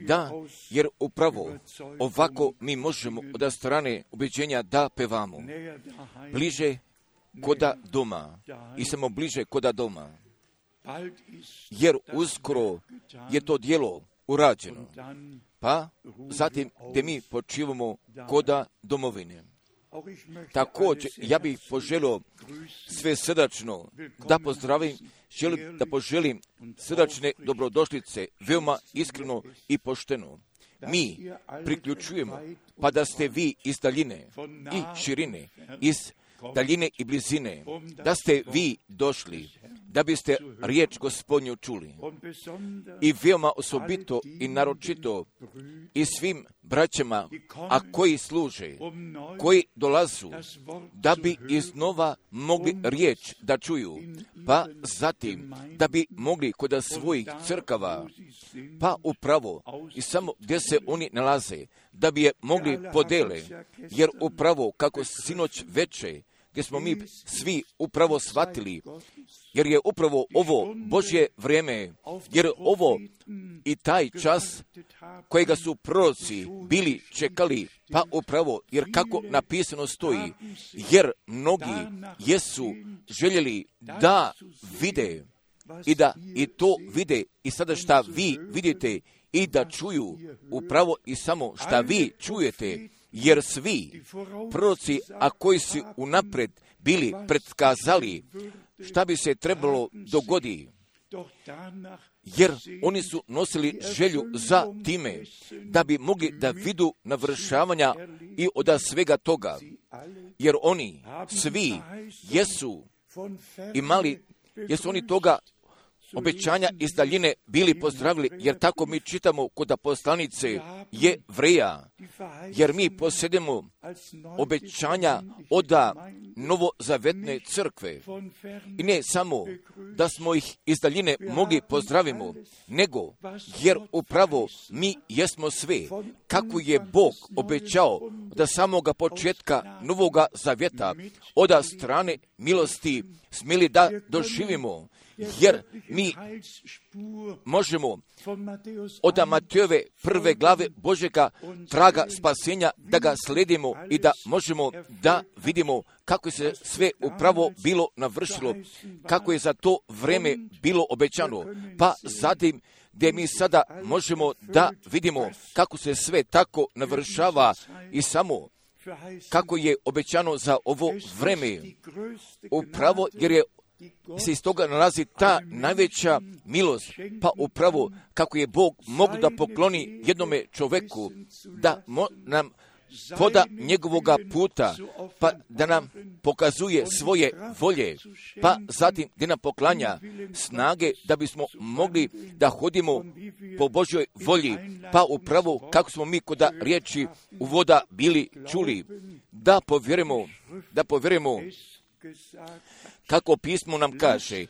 Da, jer upravo ovako mi možemo od strane ubeđenja da pevamo. Bliže koda doma i samo bliže koda doma. Jer uskoro je to djelo urađeno. Pa zatim gdje mi počivamo koda domovine. Također, ja bih poželio sve srdačno da pozdravim, želim da poželim srdačne dobrodošlice, veoma iskreno i pošteno. Mi priključujemo, pa da ste vi iz daljine i širine, iz daljine i blizine, da ste vi došli, da biste riječ Gospodnju čuli. I veoma osobito i naročito i svim braćama, a koji služe, koji dolazu, da bi iznova mogli riječ da čuju, pa zatim da bi mogli kod svojih crkava, pa upravo i samo gdje se oni nalaze, da bi je mogli podele, jer upravo kako sinoć veče, gdje smo mi svi upravo shvatili, jer je upravo ovo Božje vrijeme, jer ovo i taj čas kojega su proroci bili čekali, pa upravo, jer kako napisano stoji, jer mnogi jesu željeli da vide i da i to vide i sada šta vi vidite i da čuju upravo i samo šta vi čujete, jer svi proroci, a koji su unaprijed bili predskazali šta bi se trebalo dogoditi, jer oni su nosili želju za time da bi mogli da vidu navršavanja i od svega toga, jer oni svi jesu imali, jesu oni toga obećanja iz daljine bili pozdravili, jer tako mi čitamo kod poslanice Jevreja, jer mi posjedimo obećanja od novozavetne crkve. I ne samo da smo ih iz daljine mogli pozdravimo, nego jer upravo mi jesmo sve, kako je Bog obećao da samoga početka novoga zavjeta od strane milosti smjeli da doživimo. Jer mi možemo od Matejove prve glave Božjega traga spasenja da ga sledimo i da možemo da vidimo kako se sve upravo bilo navršilo, kako je za to vrijeme bilo obećano, pa zatim gdje mi sada možemo da vidimo kako se sve tako navršava i samo kako je obećano za ovo vrijeme, upravo jer je se iz toga nalazi ta najveća milost, pa upravo kako je Bog mogu da pokloni jednome čovjeku, da nam poda njegovoga puta, pa da nam pokazuje svoje volje, pa zatim da nam poklanja snage da bismo mogli da hodimo po Božjoj volji, pa upravo kako smo mi kod riječi uvoda bili čuli, da povjerujemo kako pismo nam kaže,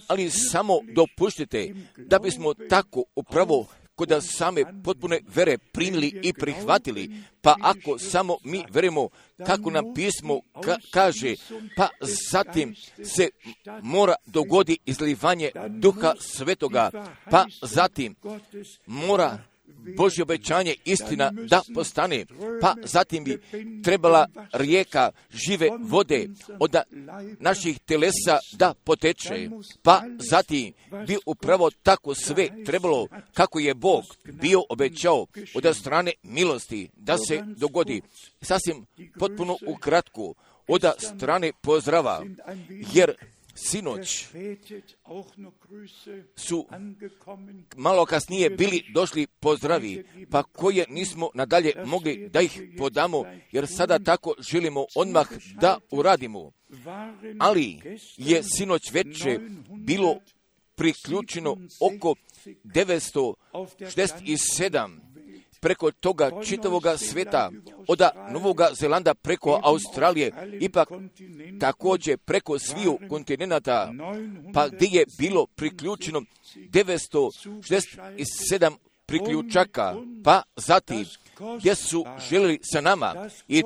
ali samo dopuštite da bismo tako upravo kod same potpune vere primili i prihvatili, pa ako samo mi verujemo kako nam pismo kaže, pa zatim se mora dogodi izlivanje Duha Svetoga, pa zatim mora Božje obećanje istina da postane, pa zatim bi trebala rijeka žive vode od naših telesa da poteče, pa zatim bi upravo tako sve trebalo kako je Bog bio obećao od strane milosti da se dogodi. Sasvim potpuno ukratko od strane pozdrava, jer sinoć su malo kasnije bili došli pozdravi, pa koje nismo nadalje mogli da ih podamo, jer sada tako želimo odmah da uradimo. Ali je sinoć veče bilo priključeno oko 967 preko toga čitavoga sveta, od Novoga Zelanda preko Australije, ipak također preko sviju kontinenata, pa gdje je bilo priključeno 967 priključaka, pa zatim gdje su željeli sa nama i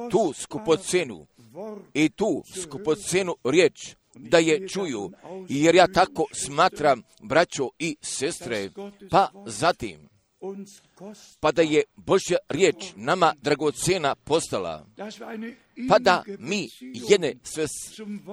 tu skupocenu riječ da je čuju, jer ja tako smatram, braćo i sestre, pa zatim, pa da je Božja riječ nama dragocena postala, pa da mi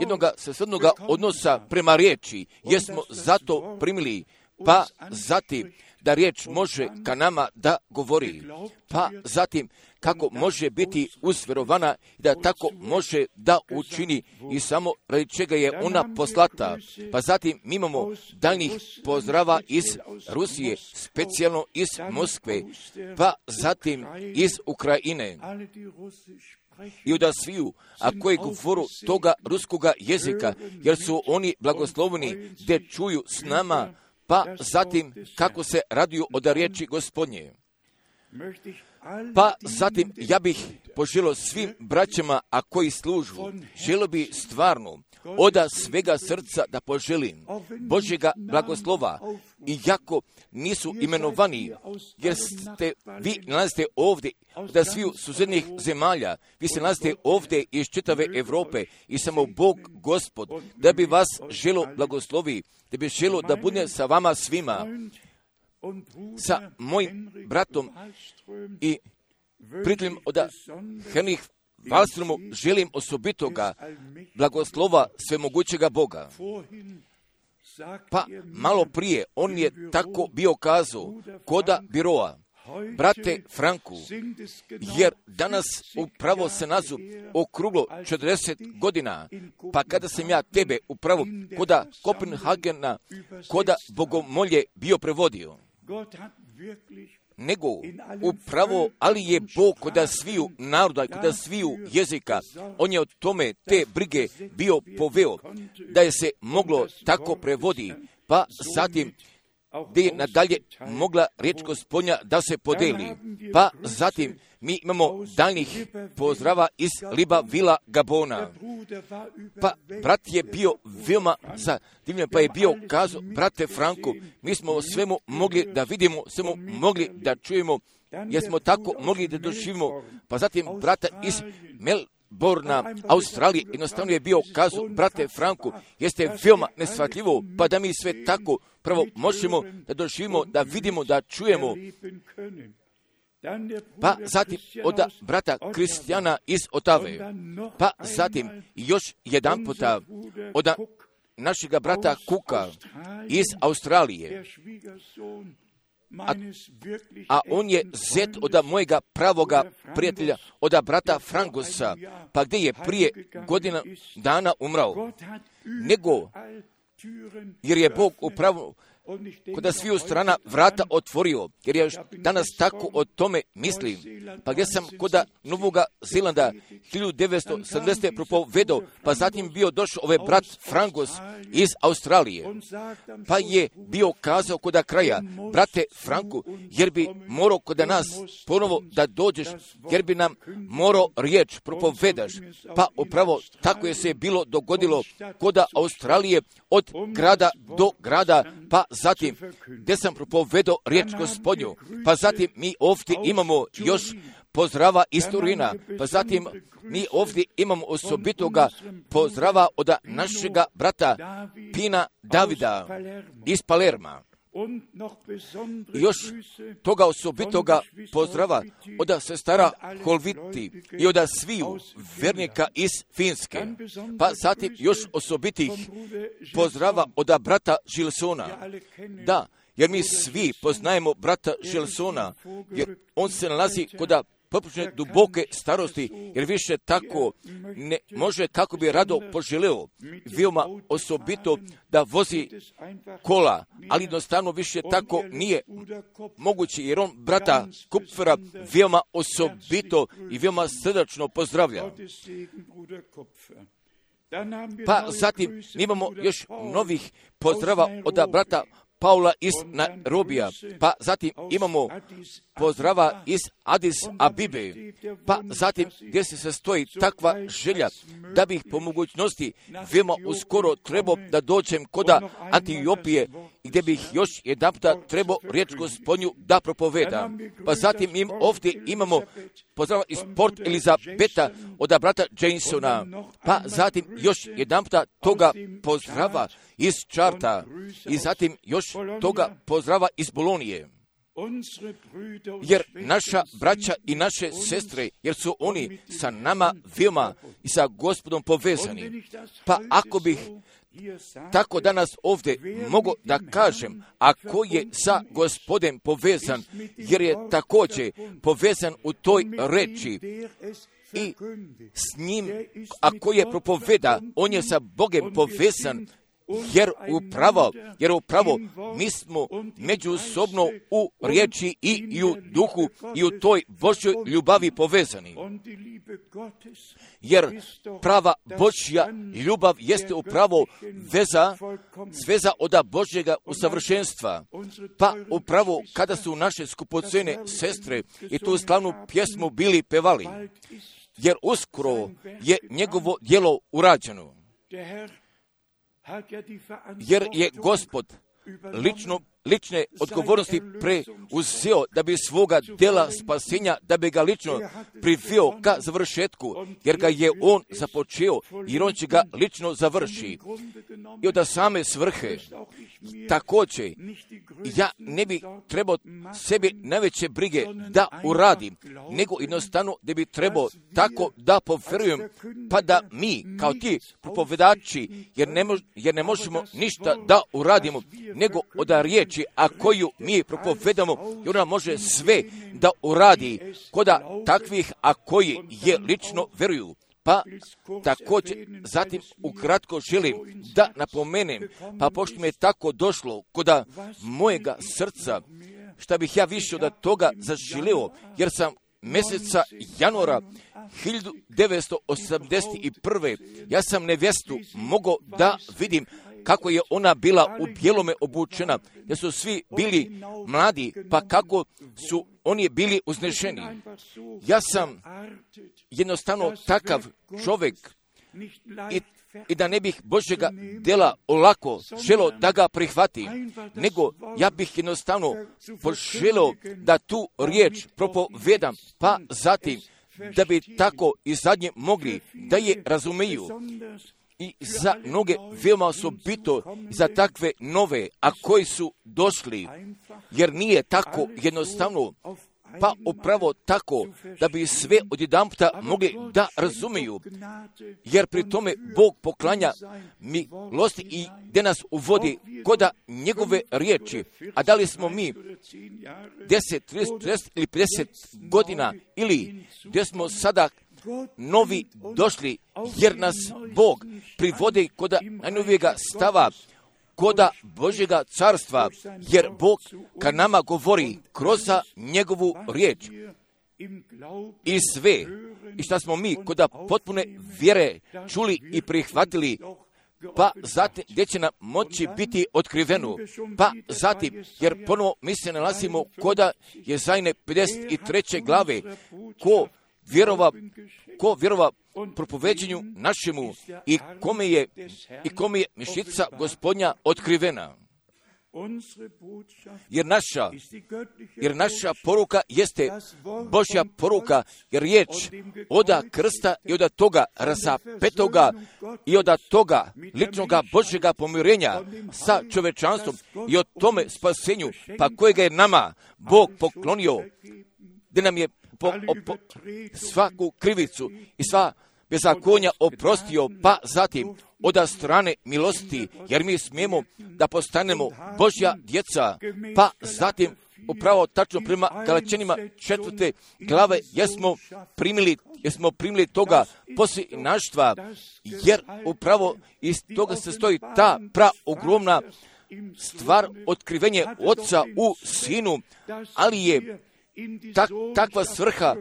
jednoga svesrdnoga odnosa prema riječi jesmo zato primili, pa zatim da riječ može ka nama da govori, pa zatim kako može biti usvjerovana i da tako može da učini i samo radi čega je ona poslata. Pa zatim mi imamo daljnjih pozdrava iz Rusije, specijalno iz Moskve, pa zatim iz Ukrajine. I od sviju, a koji govoru toga ruskoga jezika, jer su oni blagosloveni gdje čuju s nama, pa zatim kako se raduju od riječi Gospodnje. Pa zatim ja bih poželio svim braćama, a koji služu, želio bi stvarno od svega srca da poželim Božjega blagoslova, iako nisu imenovani, jer ste vi nalazite ovdje da sviju susjednih zemalja, vi se nalazite ovdje iz čitave Europe i samo Bog Gospod, da bi vas želio blagoslovi, da bi želio da bude sa vama svima, sa mojim bratom i prijateljem od Henrich Wallströmu želim osobitoga blagoslova svemogućega Boga. Pa malo prije on je tako bio kazao koda biroa, brate Franku, jer danas upravo se nazu okruglo 40 godina, pa kada sam ja tebe upravo koda Kopenhagena, koda Bogomolje bio prevodio, nego upravo, ali je Bog koda sviju naroda, koda sviju jezika, on je o tome te brige bio poveo, da je se moglo tako prevodi, pa zatim gdje je nadalje mogla riječ Gospodnja da se podeli. Pa zatim mi imamo daljnjih pozdrava iz Libreville, Gabona. Pa brat je bio veoma zadivljen, pa je bio kazao, brate Franku, mi smo o svemu mogli da vidimo, svemu mogli da čujemo, jer smo tako mogli da doživimo. Pa zatim brata iz Melbourna, Australije, jednostavno je bio kazao, brate Franku, jeste veoma neshvatljivo, pa da mi sve tako prvo možemo da doživimo, da vidimo, da čujemo. Pa zatim od brata Kristijana iz Otave, pa zatim još jedan puta od našega brata Kuka iz Australije, a on je zet od mojega pravoga prijatelja, od brata Frangusa, pa gdje je prije godina dana umrao, nego jer je Bog upravo koda sviju strana vrata otvorio, jer ja danas tako o tome mislim. Pa gdje sam koda Novoga Zelanda 1970. propovedao, pa zatim bio došao ovaj brat Frangus iz Australije, pa je bio kazao koda kraja, brate Franku, jer bi morao koda nas ponovo da dođeš, jer bi nam morao riječ propovedaš. Pa upravo tako je se bilo dogodilo koda Australije od grada do grada, pa zatim gdje sam propovedao riječ Gospodnju, pa zatim mi ovdje imamo još pozdrava iz Turina, pa zatim mi ovdje imamo osobitoga pozdrava od našega brata Pina Davida iz Palerma. I još toga osobitoga pozdrava od sestara Holviti i od sviju vernika iz Finske. Pa zatim još osobitih pozdrava od brata Gilsona. Da, jer mi svi poznajemo brata Gilsona, jer on se nalazi kod poprilično duboke starosti, jer više tako ne može kako bi rado poželeo, veoma osobito da vozi kola, ali jednostavno više tako nije moguće, jer on brata Kupfera veoma osobito i veoma srdačno pozdravlja. Pa zatim imamo još novih pozdrava od brata Paula iz Nairobija, pa zatim imamo pozdrava iz Addis Abibe, pa zatim gdje se sastoji takva želja da bih po mogućnosti veoma uskoro trebao da dođem kod Etiopije gdje bih još jedanputa trebao riječ Gospodnju da propovedam. Pa zatim ovdje imamo pozdrava iz Port Elizabeta od brata Jamesona, pa zatim još jedanputa toga pozdrava iz Charta i zatim još toga pozdrava iz Bolonije. Jer naša braća i naše sestre, jer su oni sa nama veoma i sa Gospodom povezani. Pa ako bih tako danas ovdje mogu da kažem, ako je sa Gospodem povezan, jer je također povezan u toj reči i s njim, ako je propoveda, on je sa Bogom povezan, jer upravo mi smo međusobno u riječi i u duhu i u toj Božjoj ljubavi povezani. Jer prava Božja ljubav jeste upravo sveza od Božjega usavršenstva. Pa upravo kada su naše skupocene sestre i tu slavnu pjesmu bili pevali, jer uskoro je njegovo djelo urađeno. Jer je Gospod lične odgovornosti preuzeo da bi svoga djela spasenja, da bi ga lično priveo ka završetku, jer ga je on započeo, jer on će ga lično završi. I od same svrhe, također, ja ne bi trebao sebi najveće brige da uradim, nego jednostavno da bi trebao tako da povjerujem, pa da mi, kao ti propovedači, jer ne možemo ništa da uradimo, nego od riječi, a koju mi propovedamo, i ona može sve da uradi koda takvih, a koji je lično veruju. Pa također zatim ukratko želim da napomenem, pa pošto mi je tako došlo koda mojega srca, šta bih ja više od toga zaželio, jer sam mjeseca januara 1981. ja sam nevjestu mogao da vidim kako je ona bila u bijelome obučena, da su svi bili mladi, pa kako su oni bili uznešeni. Ja sam jednostavno takav čovjek i da ne bih Božjega djela olako želio da ga prihvati, nego ja bih jednostavno poželio da tu riječ propovedam, pa zatim da bi tako i zadnje mogli da je razumiju. I za mnoge veoma osobito za takve nove, a koji su došli, jer nije tako jednostavno, pa upravo tako da bi sve odjedanputa mogli da razumiju, jer pri tome Bog poklanja milosti i gdje nas uvodi koda njegove riječi. A da li smo mi 10, 30 ili 50 godina ili gdje smo sada novi došli, jer nas Bog privodi koda najnovijega stava, koda Božjega carstva, jer Bog ka nama govori kroz njegovu riječ. I sve, i šta smo mi koda potpune vjere čuli i prihvatili, pa zatim gdje će nam moći biti otkriveno, pa zatim, jer ponovo mi se nalazimo koda Jezajne 53. glave, ko vjerova propoveđenju našemu i kome je mišica Gospodnja otkrivena. Jer naša poruka jeste Božja poruka, jer riječ od krsta i od toga razapetoga i od toga ličnoga Božjega pomirenja sa čovečanstvom i o tome spasenju, pa kojega je nama Bog poklonio, gdje nam je svaku krivicu i sva bezakonja oprostio, pa zatim od strane milosti, jer mi smijemo da postanemo Božja djeca, pa zatim upravo tačno prema Galačanima 4. glave jesmo primili toga posljednaštva, jer upravo iz toga se stoji ta praogromna stvar otkrivenje Oca u Sinu, ali je takva svrha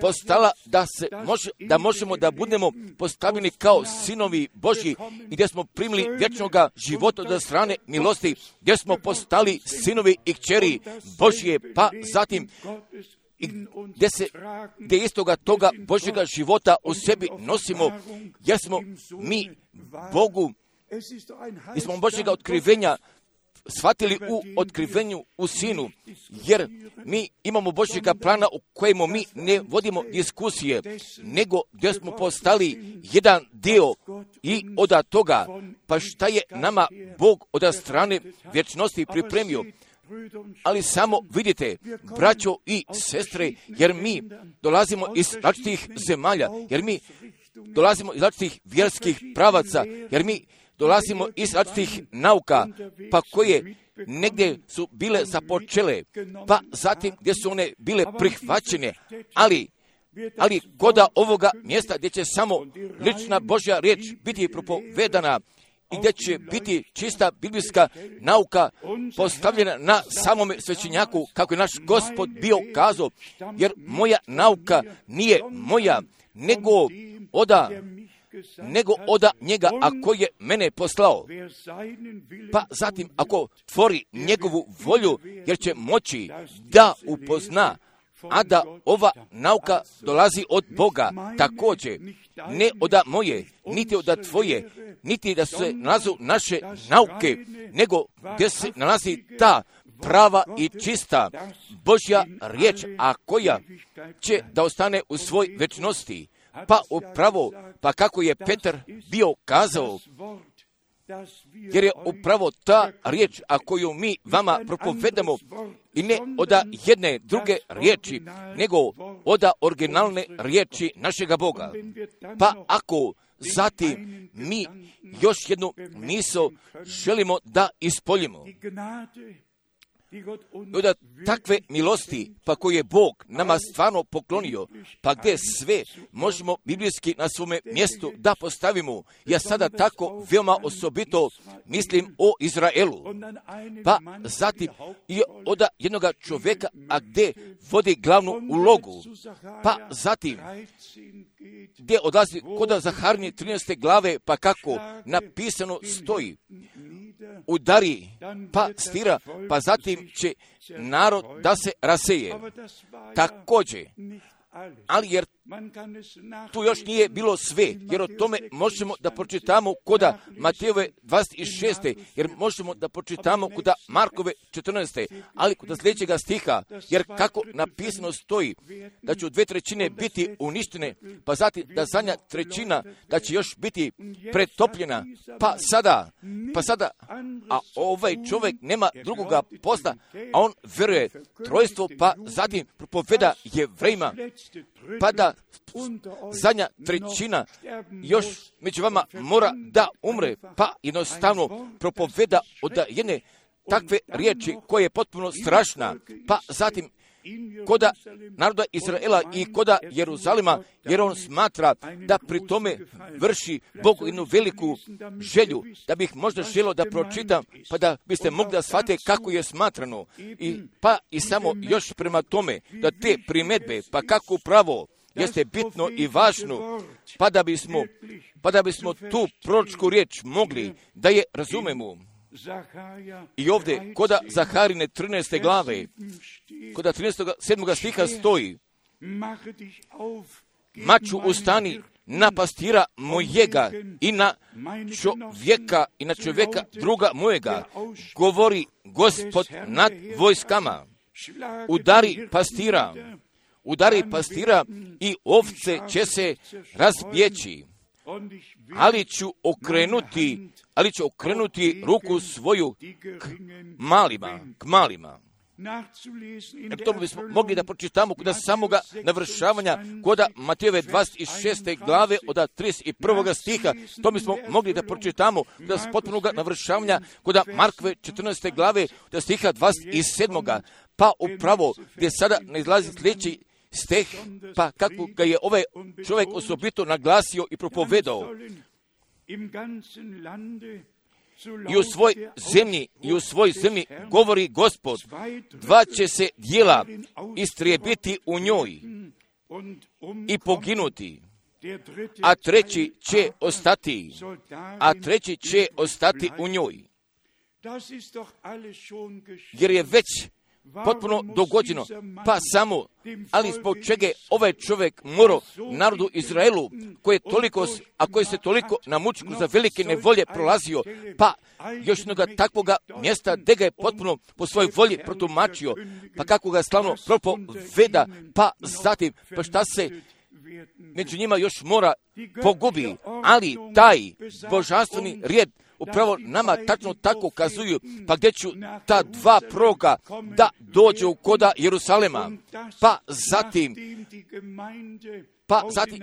postala da možemo da budemo postavljeni kao sinovi Božji i gdje smo primili vječnoga života od strane milosti, gdje smo postali sinovi i kćeri Božje, pa zatim gdje istoga toga Božjega života u sebi nosimo, jer smo mi Bogu, smo Božjega otkrivenja shvatili u otkrivenju u Sinu, jer mi imamo Božjega plana u kojemu mi ne vodimo diskusije, nego gdje smo postali jedan dio i od toga, pa šta je nama Bog od strane vječnosti pripremio. Ali samo vidite, braćo i sestre, jer mi dolazimo iz različitih zemalja, jer mi dolazimo iz različitih vjerskih pravaca, jer mi dolazimo iz različitih nauka, pa koje negdje su bile započele, pa zatim gdje su one bile prihvaćene, ali koda ovoga mjesta gdje će samo lična Božja riječ biti propovedana i gdje će biti čista biblijska nauka postavljena na samome svećenjaku, kako je naš Gospod bio kazao, jer moja nauka nije moja, nego oda njega, a koji je mene poslao. Pa zatim, ako tvori njegovu volju, jer će moći da upozna, a da ova nauka dolazi od Boga, također, ne od moje, niti od tvoje, niti da se nalazu naše nauke, nego gdje se nalazi ta prava i čista Božja riječ, a koja će da ostane u svoj večnosti. Pa upravo, pa kako je Petar bio kazao, jer je upravo ta riječ, a koju mi vama propovedamo, i ne od jedne druge riječi, nego od originalne riječi našega Boga. Pa ako zatim mi još jednu misao želimo da ispoljimo, od takve milosti, pa koje je Bog nama stvarno poklonio, pa gdje sve možemo biblijski na svome mjestu da postavimo. Ja sada tako veoma osobito mislim o Izraelu. Pa zatim i od jednoga čovjeka, a gdje vodi glavnu ulogu. Pa zatim gdje odlazi kod Zaharnije 13. glave, pa kako napisano stoji, udari, pa stira, pa zatim će narod da se raseje. Također, ali jer tu još nije bilo sve, jer o tome možemo da pročitamo koda Matejove 26. jer možemo da pročitamo koda Markove 14. ali koda sljedećega stiha, jer kako napisano stoji da će 2/3 biti uništene, pa zatim da zadnja trećina da će još biti pretopljena, pa sada, a ovaj čovjek nema drugoga posla, a on veruje trojstvo, pa zatim propoveda Jevrejima, pa da zadnja trećina još među vama mora da umre, pa jednostavno propoveda od jedne takve riječi koja je potpuno strašna, pa zatim koda naroda Izraela i koda Jeruzalima, jer on smatra da pri tome vrši Bogu jednu veliku želju, da bih možda želio da pročitam, pa da biste mogli da shvate kako je smatrano, pa i samo još prema tome, da te primjedbe, pa kako pravo jeste bitno i važno, pa da bismo tu proročku riječ mogli da je razumemo. I ovdje, koda Zaharine 13. glave, koda 7. stiha stoji, maču ustani na pastira mojega i na čovjeka druga mojega, govori Gospod nad vojskama. Udari pastira i ovce će se razbjeći, ali ću okrenuti ruku svoju k malima. To bismo mogli da pročitamo kod samoga navršavanja koda Matejove 26. glave od 31. stiha. To bismo mogli da pročitamo kod potpunog navršavanja koda Markove 14. glave od stiha 27. Pa upravo gdje sada ne izlazi sljedeći stih, pa kako ga je ovaj čovjek osobito naglasio i propovedao. I u svoj zemlji govori Gospod, 2 će se dijela istrijebiti u njoj i poginuti, a treći će ostati u njoj. Jer je već potpuno dogođeno, pa samo, ali zbog čega ovaj čovjek morao narodu Izraelu, koji se toliko na mučku za velike nevolje prolazio, pa još jednoga takvoga mjesta gdje ga je potpuno po svojoj volji protumačio, pa kako ga slavno propoveda, pa zatim, pa šta se među njima još mora pogubi, ali taj božanstveni rijed upravo nama tačno tako kazuju, pa gdje ću ta dva proroka da dođu koda Jerusalema, pa zatim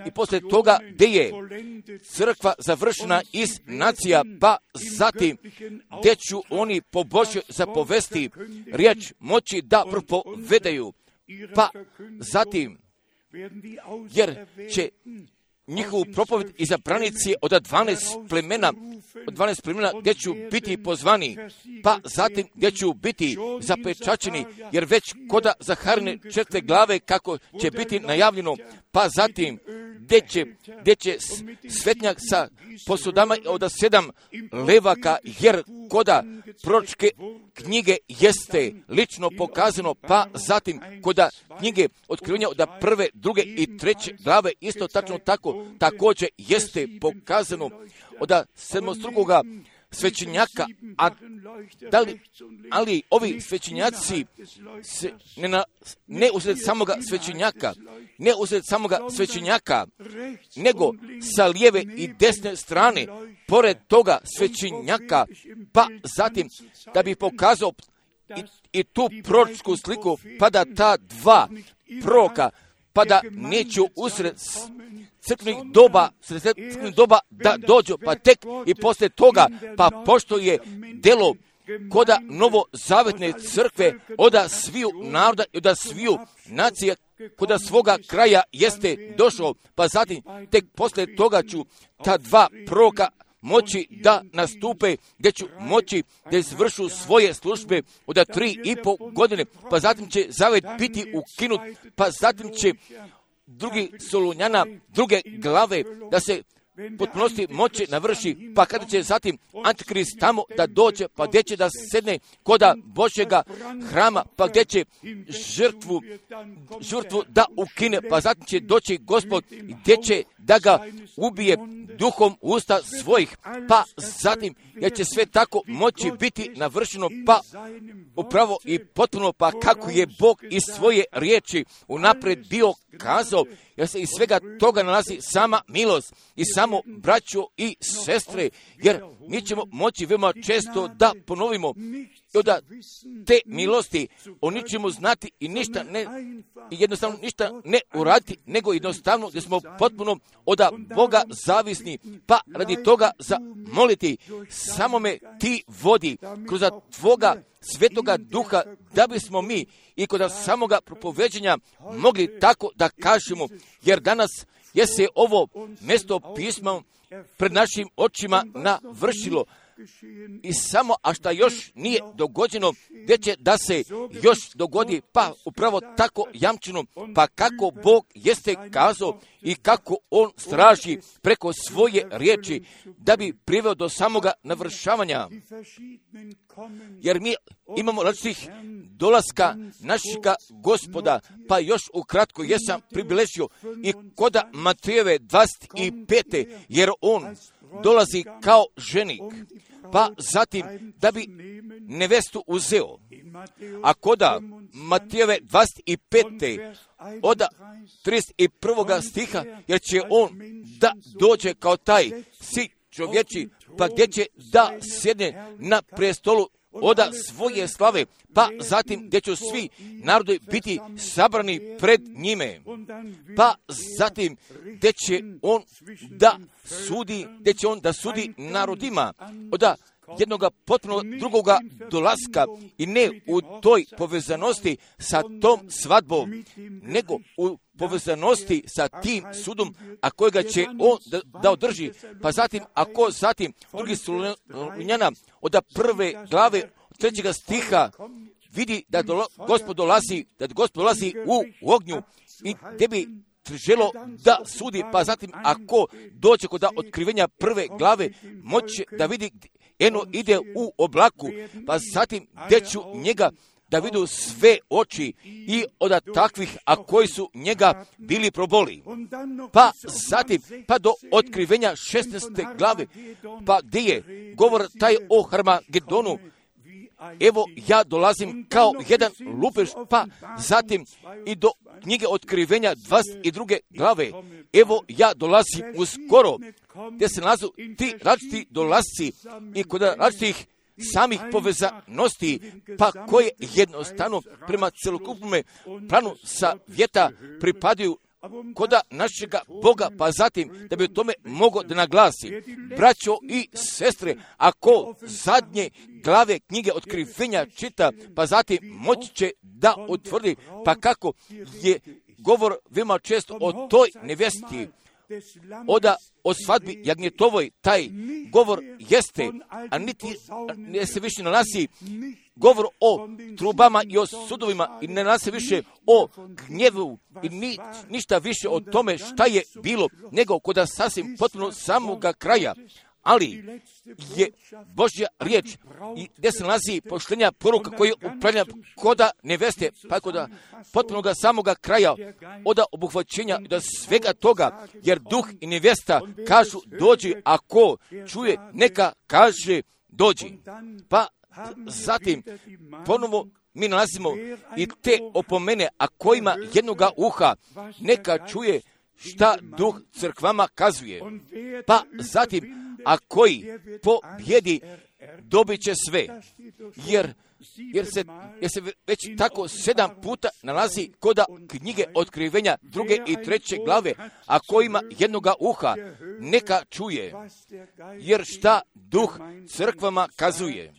i poslije toga gdje je crkva završena iz nacija, pa zatim gdje ću oni po Božjoj zapovesti riječ moći da propovedaju, pa zatim jer će njihovu propoved izabranici od 12 plemena gdje ću biti pozvani, pa zatim gdje ću biti zapečačeni, jer već koda Zaharine 4. glave kako će biti najavljeno, pa zatim gdje će svetnjak sa posudama od 7 levaka, jer koda proročke knjige jeste lično pokazano, pa zatim koda knjige otkrivenja od 1., 2. i 3. glave isto tačno tako također jeste pokazano od 7. svećenjaka, ali ovi svećenjaci ne usred samoga svećenjaka, nego sa lijeve i desne strane, pored toga svećenjaka, pa zatim da bi pokazao i tu proročku sliku, pa da ta dva proroka, pa da neću usred crkvenih doba da dođu, pa tek i poslije toga, pa pošto je delo koda novozavetne crkve oda sviju naroda i oda sviju nacija koda svoga kraja jeste došao, pa zatim tek poslije toga ću ta dva proroka moći da nastupe, gdje ću moći da izvršu svoje službe od 3,5 godine, pa zatim će zavet biti ukinut, pa zatim će drugi Solunjana, 2. glave, da se potpunosti moći navrši, pa kada će zatim Antikrist tamo da dođe, pa gdje će da sedne koda Božjega hrama, pa gdje će žrtvu da ukine, pa zatim će doći Gospod gdje će da ga ubije duhom usta svojih, pa zatim jer će sve tako moći biti navršeno, pa upravo i potpuno, pa kako je Bog iz svoje riječi unaprijed bio kazao, jer se iz svega toga nalazi sama milost i samo braćo i sestre, jer mi ćemo moći veoma često da ponovimo i da te milosti oni ćemo znati i jednostavno ništa ne uraditi, nego jednostavno da smo potpuno od Boga zavisni, pa radi toga zamoliti, samo me ti vodi kroz tvoga svetoga duha, da bismo mi i kod samoga propoveđenja mogli tako da kažemo, jer danas je se ovo mjesto pisma pred našim očima navršilo i samo, a šta još nije dogođeno, gdje će da se još dogodi, pa upravo tako jamčeno, pa kako Bog jeste kazao i kako On straži preko svoje riječi, da bi priveo do samoga navršavanja. Jer mi imamo različitih dolaska našega Gospoda, pa još ukratko jesam pribilježio i koda Matejeve 25. jer On dolazi kao ženik, pa zatim da bi nevestu uzeo. A koda Matejeve 25. od 31. stiha, jer će On da dođe kao taj sin čovječi, pa gdje će da sjedne na prestolu oda svoje slave, pa zatim gdje će svi narodi biti sabrani pred njime, pa zatim gdje će on da sudi narodima od jednoga potpuno drugoga dolaska i ne u toj povezanosti sa tom svadbom, nego u povezanosti sa tim sudom, a kojega će on da održi. Pa zatim, ako zatim drugi Solunjana od 1. glave 3. stiha vidi da Gospod dolazi u ognju i gdje bi želo da sudi, pa zatim ako dođe kod otkrivenja 1. glave, moće da vidi eno ide u oblaku, pa zatim gdje ću njega da vidu sve oči i od takvih, a koji su njega bili proboli. Pa zatim, pa do otkrivenja 16. glave, pa gdje je govor taj o Harmagedonu. Evo ja dolazim kao jedan lupež, pa zatim i do knjige otkrivenja 22. glave. Evo ja dolazim uskoro, gdje se nalazu ti različiti dolasci i kod različitih samih povezanosti, pa koje jednostavno prema celokupnome planu savjeta pripadaju koda našega Boga, pa zatim da bi o tome mogo da naglasi. Braćo i sestre, ako zadnje glave knjige otkrivenja čita, pa zatim moći će da utvrdi, pa kako je govor veoma često o toj nevjesti, o svadbi jagnjetovoj, taj govor jeste, a niti ne se više nalazi govor o trubama i o sudovima i ne nalazi više o gnjevu i ništa više o tome šta je bilo, nego koda sasvim potpuno samoga kraja. Ali je Božja riječ i gdje se nalazi poštenja poruka koja upravlja koda neveste, pa koda potpunoga samoga kraja, od obuhvaćenja do svega toga, jer duh i nevesta kažu dođi, ako čuje neka kaže dođi. Pa zatim ponovo mi nalazimo i te opomene, a kojima jednoga uha neka čuje šta duh crkvama kazuje. Pa zatim, a koji pobjedi dobit će sve, jer se već tako 7 puta nalazi koda knjige otkrivenja 2. i 3. glave, a kojima jednoga uha neka čuje, jer šta duh crkvama kazuje.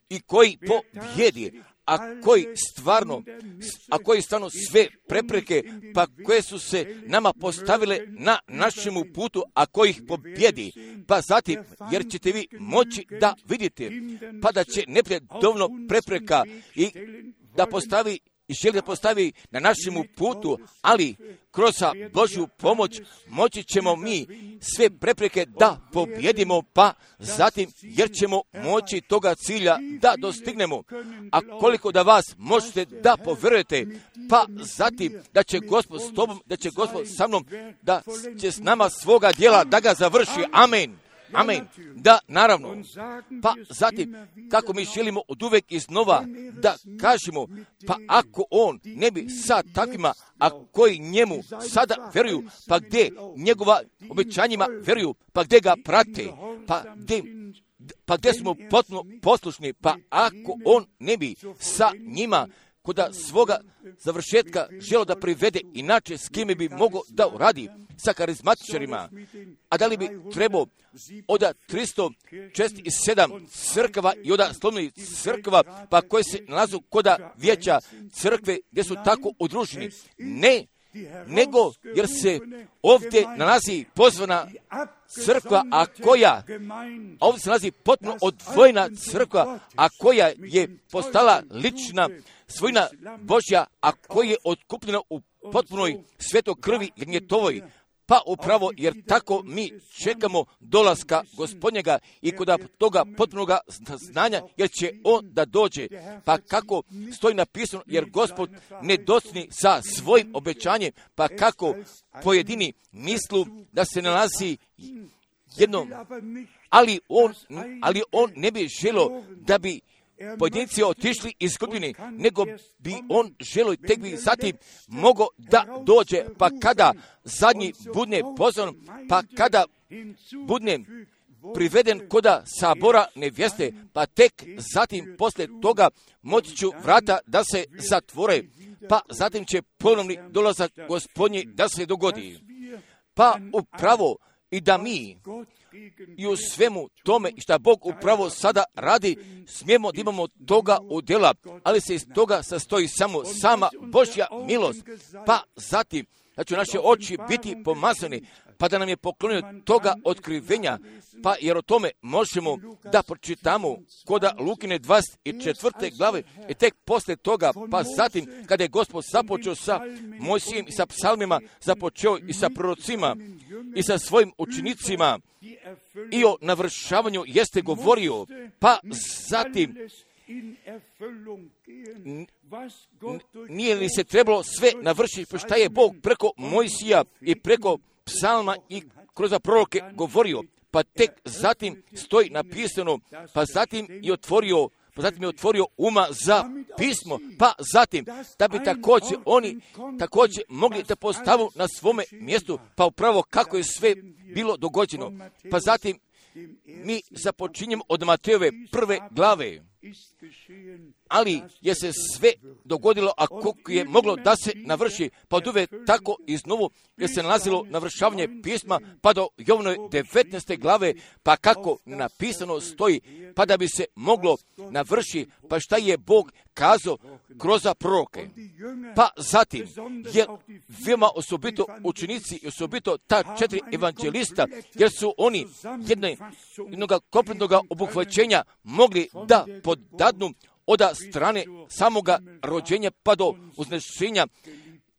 I koji pobjedi, a koji stvarno sve prepreke, pa koje su se nama postavile na našemu putu, a koji ih pobjedi, pa zatim, jer ćete vi moći da vidite, pa da će neprijatelj dovoljno prepreka i da postavi i želi da postavi na našemu putu, ali kroz Božju pomoć moći ćemo mi sve prepreke da pobjedimo, pa zatim jer ćemo moći toga cilja da dostignemo. A koliko da vas možete da poverujete, pa zatim da će Gospod s tobom, da će Gospod sa mnom, da će s nama svoga djela da ga završi. Amen. Amen. Da, naravno. Pa zatim, kako mi želimo od uvek iznova da kažemo, pa ako on ne bi sa takvima, a koji njemu sada veruju, pa gdje njegova obećanjima veruju, pa gdje ga prate, pa gdje smo potpuno poslušni, pa ako on ne bi sa njima koda svoga završetka želo da privede, inače s kime bi mogao da uradi, sa karizmatičarima, a da li bi trebao od 347 crkava i od slovnih crkava, pa koje se nalazu koda vijeća crkve gdje su tako udruženi. Ne, nego jer se ovdje nalazi pozvana crkva, a ovdje se nalazi potpuno odvojena crkva, a koja je postala lična svojina Božja, a koja je otkupljena u potpunoj svetoj krvi jagnjetovoj. Pa upravo jer tako mi čekamo dolaska Gospodnjega i kod toga potpunoga znanja, jer će on da dođe. Pa kako stoji napisano, jer Gospod ne docni sa svojim obećanjem, pa kako pojedini mislu da se nalazi jedno, ali on ne bi želio da bi pojedinci otišli izgubljeni, nego bi on želio i tek bi zatim mogao da dođe, pa kada zadnji budne pozvan, pa kada budne priveden koda sabora nevjeste, pa tek zatim posle toga moći ću vrata da se zatvore, pa zatim će ponovni dolazak Gospodnji da se dogodi. Pa upravo i da mi i u svemu tome šta Bog upravo sada radi, smijemo da imamo toga udjela, ali se iz toga sastoji samo sama Božja milost. Pa zatim da će naše oči biti pomazani, pa da nam je poklonio toga otkrivenja, pa jer o tome možemo da pročitamo koda Lukine 24. glave i tek posle toga, pa zatim kada je Gospod započeo sa Mojsijem i sa psalmima, započeo i sa prorocima i sa svojim učenicima i o navršavanju jeste govorio, pa zatim nije li se trebalo sve navršiti, pa šta je Bog preko Mojsija i preko psalma i kroz proroke govorio, pa tek zatim stoji napisano, pa zatim je otvorio uma za pismo, pa zatim da bi također oni također mogli da postavu na svome mjestu, pa upravo kako je sve bilo dogođeno. Pa zatim mi započinjemo od Matejove 1. glave, ali je se sve dogodilo, a koliko je moglo da se navrši, pa od uvek tako iznovu je se nalazilo navršavanje pisma, pa do Jovanove 19. glave, pa kako napisano stoji, pa da bi se moglo navrši, pa šta je Bog kazao kroz proroke. Pa zatim je veoma osobito učenici i osobito ta 4 evanđelista, jer su oni jednog kompletnog obuhvaćenja mogli da podadnu od strane samoga rođenja pa do uznešenja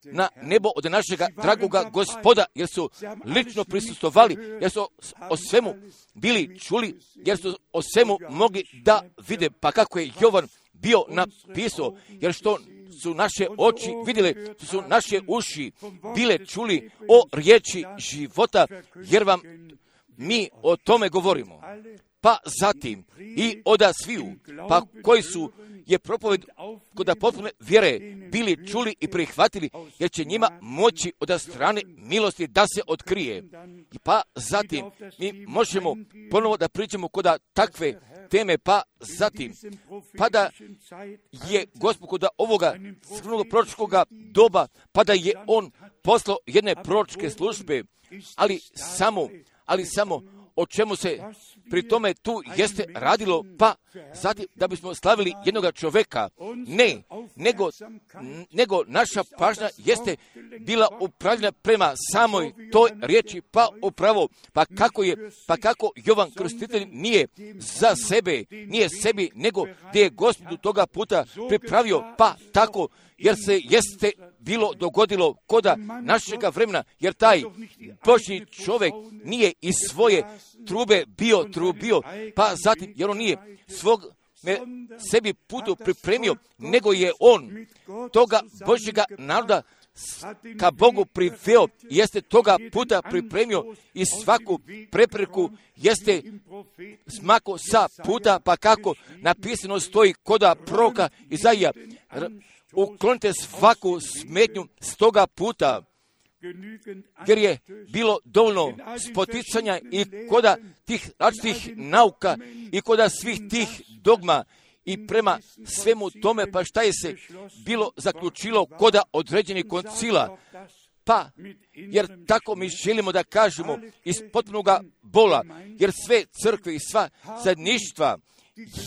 na nebo od našega dragoga Gospoda, jer su lično prisustvovali, jer su o svemu bili čuli, jer su o svemu mogli da vide, pa kako je Jovan bio napisao, jer što su naše oči vidjele, što su naše uši bile čuli o riječi života, jer vam mi o tome govorimo. Pa zatim i oda sviju, pa koji su je propoved kod potpune vjere bili čuli i prihvatili, jer će njima moći od strane milosti da se otkrije. Pa zatim mi možemo ponovo da pričamo kod takve teme, pa zatim, pa da je Gospod kod ovoga crnog proročkog doba, pa da je on poslao jedne proročke službe, ali samo o čemu se pri tome tu jeste radilo, pa zatim da bismo slavili jednoga čoveka. Ne, nego naša pažnja jeste bila upravljena prema samoj toj riječi, pa upravo, pa kako Jovan Krstitelj nije za sebe, nije sebi, nego gdje je Gospodu toga puta pripravio, pa tako, jer se jeste bilo dogodilo koda našega vremena, jer taj Božji čovjek nije iz svoje trube bio trubio, pa zatim, jer on nije svog sebi putu pripremio, nego je on toga Božjega naroda ka Bogu priveo, jeste toga puta pripremio i svaku prepreku jeste smako sa puta, pa kako napisano stoji koda proroka Izaija, uklonite svaku smetnju s toga puta, jer je bilo dovoljno spoticanja i koda tih različitih nauka i koda svih tih dogma i prema svemu tome, pa šta je se bilo zaključilo koda određenih koncila, pa jer tako mi želimo da kažemo iz potpunoga bola, jer sve crkve i sva zajedništva,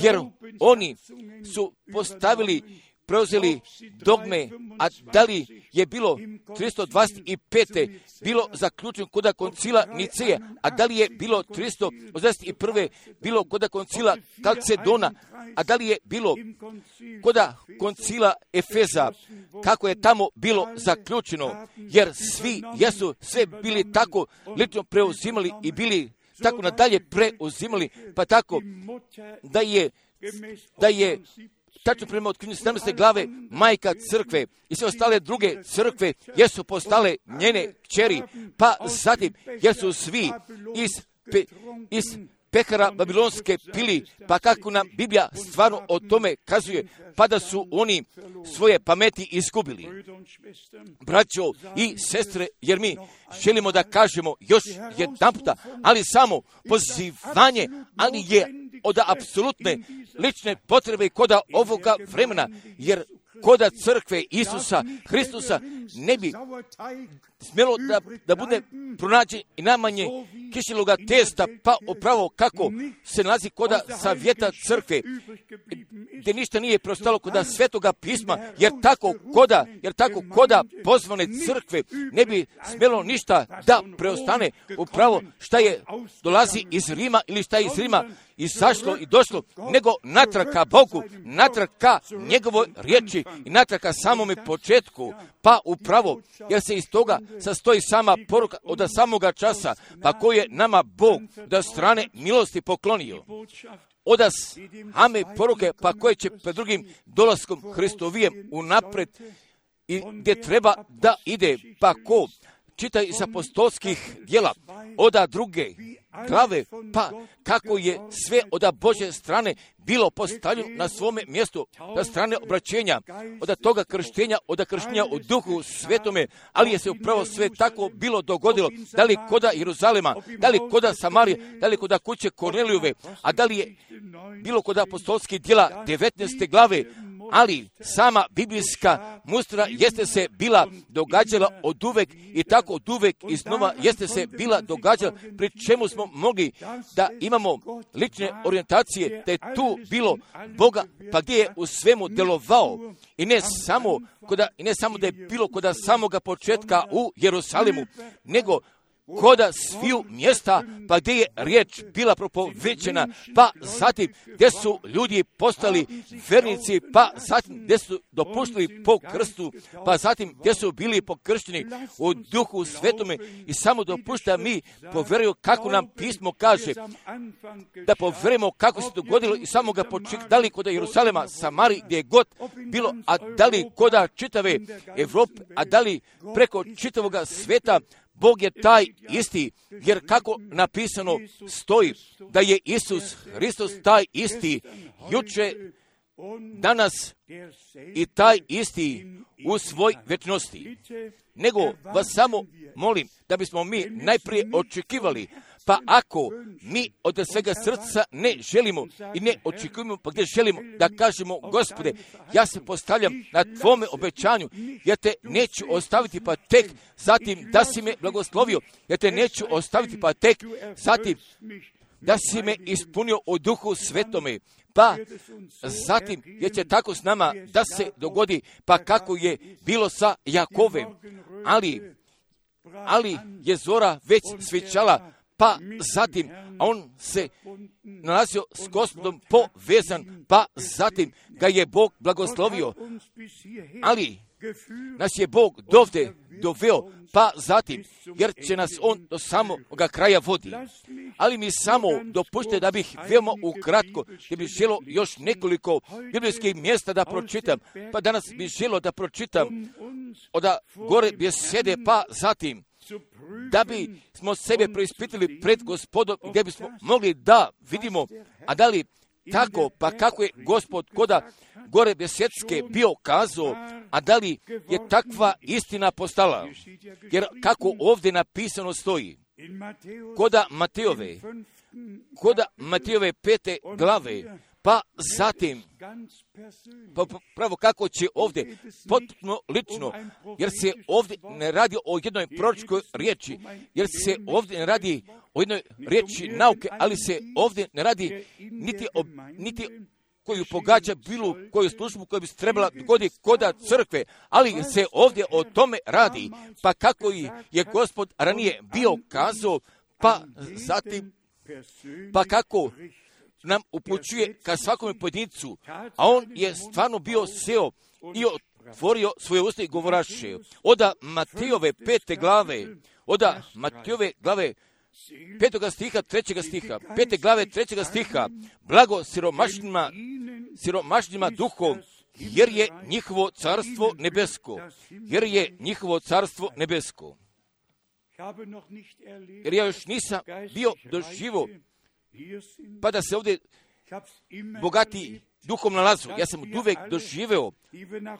jer oni su preuzeli dogme, a da li je bilo 325. bilo zaključeno koda koncila Niceje, a da li je bilo 381. bilo koda koncila Kalcedona, a da li je bilo koda koncila Efeza, kako je tamo bilo zaključeno, jer svi jesu sve bili tako lično preuzimali i bili tako nadalje preuzimali, pa tako da je tačno prema otkrivenju 17. glave majka crkve i sve ostale druge crkve jesu postale njene kćeri, pa zatim jer su svi iz pekara babilonske pili, pa kako nam Biblija stvarno o tome kazuje, pa da su oni svoje pameti izgubili. Braćo i sestre, jer mi želimo da kažemo još jedanputa, ali samo pozivanje, ali je od apsolutne lične potrebe koda ovoga vremena, jer koda crkve Isusa Hristusa ne bi smjelo da bude pronađen i najmanje kiseloga testa, pa upravo kako se nalazi koda savjeta crkve, gdje ništa nije preostalo koda svetoga pisma, jer tako koda pozvane crkve ne bi smjelo ništa da preostane upravo šta je dolazi iz Rima ili šta je iz Rima izašlo i došlo, nego natrag ka Bogu, natrag ka njegovoj riječi i natrag ka samome početku, pa upravo, jer se iz toga sastoji sama poruka od samoga časa, pa koju je nama Bog da strane milosti poklonio. Odas, ame poruke, pa koje će pred drugim dolaskom Hristovijem unapred i gdje treba da ide, pa ko čita iz apostolskih djela, oda druge glave, pa kako je sve od Božje strane bilo postavljeno na svome mjestu, na strane obraćenja, od toga krštenja, od krštenja u Duhu Svetome, ali je se upravo sve tako bilo dogodilo, da li koda Jeruzalema, da li koda Samarije, da li koda kuće Kornelijove, a da li je bilo koda apostolskih djela 19. glave, ali sama biblijska mustra jeste se bila događala od uvek i tako od uvek iznova jeste se bila događala, pri čemu smo mogli da imamo lične orijentacije, da je tu bilo Boga, pa gdje je u svemu delovao i ne samo da je bilo koda samoga početka u Jerusalimu, nego koda sviju mjesta, pa gdje je riječ bila propovećena, pa zatim gdje su ljudi postali vernici, pa zatim gdje su dopuštili po krstu, pa zatim gdje su bili pokršteni u Duhu Svetome i samo dopušta mi povjeruju kako nam pismo kaže, da povjerujemo kako se dogodilo i samoga početka, da li koda Jerusalema, Samari, gdje je god bilo, a da li koda čitave Evrope, a da li preko čitavoga sveta. Bog je taj isti, jer kako napisano stoji da je Isus Hristos taj isti, juče, danas i taj isti u svoj večnosti. Nego vas samo molim da bismo mi najprije očekivali, pa ako mi od svega srca ne želimo i ne očekujemo, pa gdje želimo da kažemo, Gospode, ja se postavljam na tvome obećanju, ja te neću ostaviti pa tek zatim da si me blagoslovio, ja te neću ostaviti pa tek zatim da si me ispunio u Duhu Svetome, pa zatim jer će tako s nama da se dogodi, pa kako je bilo sa Jakovem, ali je zora već svičala, pa zatim on se nalazio s Gospodom povezan, pa zatim ga je Bog blagoslovio, ali nas je Bog dovde doveo, pa zatim, jer će nas on do samoga kraja vodi. Ali mi samo dopušte da bih veoma ukratko, jer bih želio još nekoliko biblijskih mjesta da pročitam, pa danas bih želio da pročitam od gore besede, pa zatim, da bi smo sebe preispitali pred Gospodom, gdje bismo mogli da vidimo, a da li tako, pa kako je Gospod koda gore besedske bio kazao, a da li je takva istina postala, jer kako ovdje napisano stoji, koda Matejove 5. glave, pa zatim, pa pravo kako će ovdje potpuno lično, jer se ovdje ne radi o jednoj proročkoj riječi, jer se ovdje ne radi o jednoj riječi nauke, ali se ovdje ne radi niti koju pogađa bilo koju službu koja bi se trebala dogoditi koda crkve, ali se ovdje o tome radi, pa kako je Gospod ranije bio kazao, pa zatim, pa kako nam upućuje ka svakome pojedincu, a on je stvarno bio seo i otvorio svoje usta i govoraše. Oda Matejove 5. glave, oda Matejove glave 5. stiha, 3. stiha, 5. glave 3. stiha, blago siromašnima duhom, jer je njihovo carstvo nebesko, Jer ja još nisam bio doživo, pa da se ovdje bogati duhom nalazu. Ja sam uvijek doživeo,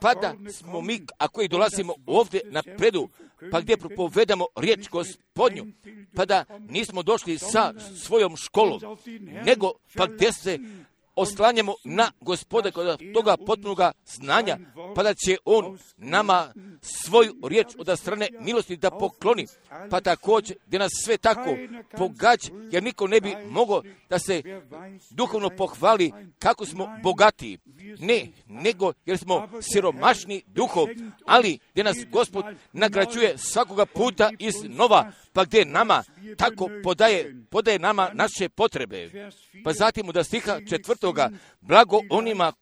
pa da smo mi, ako i dolazimo ovdje napredu, pa gdje propovedamo riječ Gospodnju, pa da nismo došli sa svojom školom, nego pa gdje se oslanjamo na Gospoda kod toga potpunoga znanja, pa da će on nama svoju riječ od strane milosti da pokloni, pa također gdje nas sve tako pogađa, jer niko ne bi mogao da se duhovno pohvali kako smo bogati, ne, nego jer smo siromašni duhom, ali gdje nas Gospod nagrađuje svakoga puta iznova, pa gdje nama tako podaje nama naše potrebe. Pa zatim od stiha 4. blago onima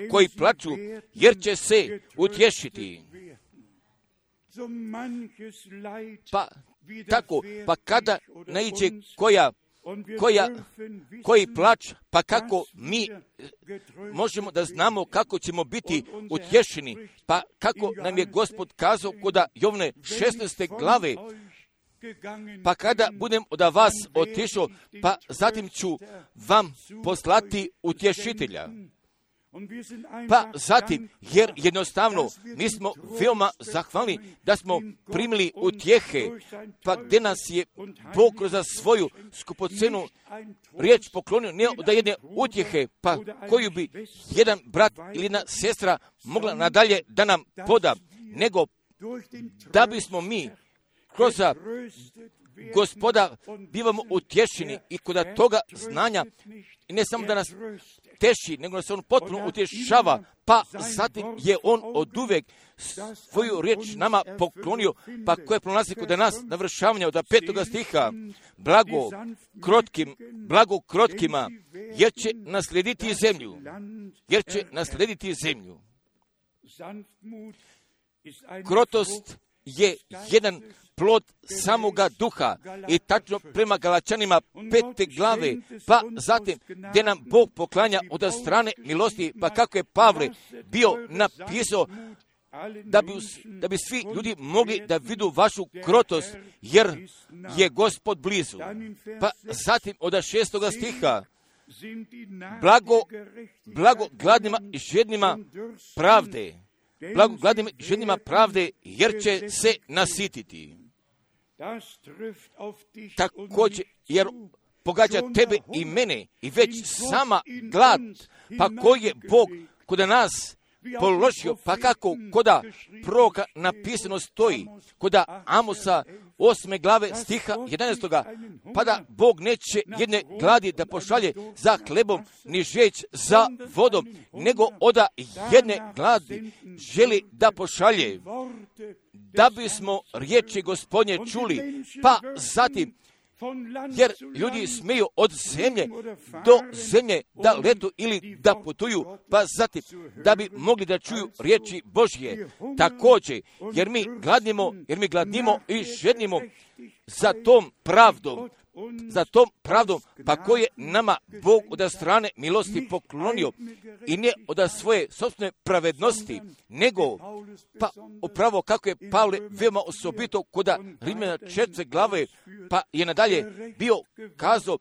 koji plaču, jer će se utješiti. Pa tako, pa kada naiđe koji plač, pa kako mi možemo da znamo kako ćemo biti utješeni, pa kako nam je Gospod kazao kod Jovne 16. glave, pa kada budem od vas otišao, pa zatim ću vam poslati utješitelja. Pa zatim, jer jednostavno mi smo veoma zahvalni da smo primili utjehe, pa gdje nas je Bog kroz svoju skupocenu riječ poklonio, ne od jedne utjehe, pa koju bi jedan brat ili jedna sestra mogla nadalje da nam poda, nego da bismo mi kroz Gospoda bivamo utješeni i kod toga znanja, i ne samo da nas teši, nego da se on potpuno utješava, pa zatim je on oduvijek svoju riječ nama poklonio, pa koje prolazi kod nas navršavanja od 5. stiha, blago krotkima, jer će naslediti zemlju. Krotost je jedan plod samoga duha i tačno prema Galačanima 5. glave, pa zatim gdje nam Bog poklanja od strane milosti, pa kako je Pavle bio napisao da bi svi ljudi mogli da vidu vašu krotost, jer je Gospod blizu. Pa zatim od 6. stiha, blago gladnima i žednima pravde, jer će se nasititi. Također, jer pogađa tebe i mene i već sama glad, pa koji je Bog kod nas položio, pa kako koda proroka napisano stoji, koda Amosa 8. glave stiha 11. pa da Bog neće jedne gladi da pošalje za hlebom, ni žeć za vodom, nego oda jedne gladi želi da pošalje, da bismo riječi Gospodnje čuli, pa zatim, jer ljudi smeju od zemlje do zemlje da letu ili da putuju, pa zatim da bi mogli da čuju riječi Božje. Također, jer mi gladnimo i žednimo za tom pravdom, pa koje nama Bog od strane milosti poklonio, i ne od svoje sopstvene pravednosti, nego pa upravo kako je Pavle veoma osobito kod Rimljana 4. glave, pa je nadalje bio kazao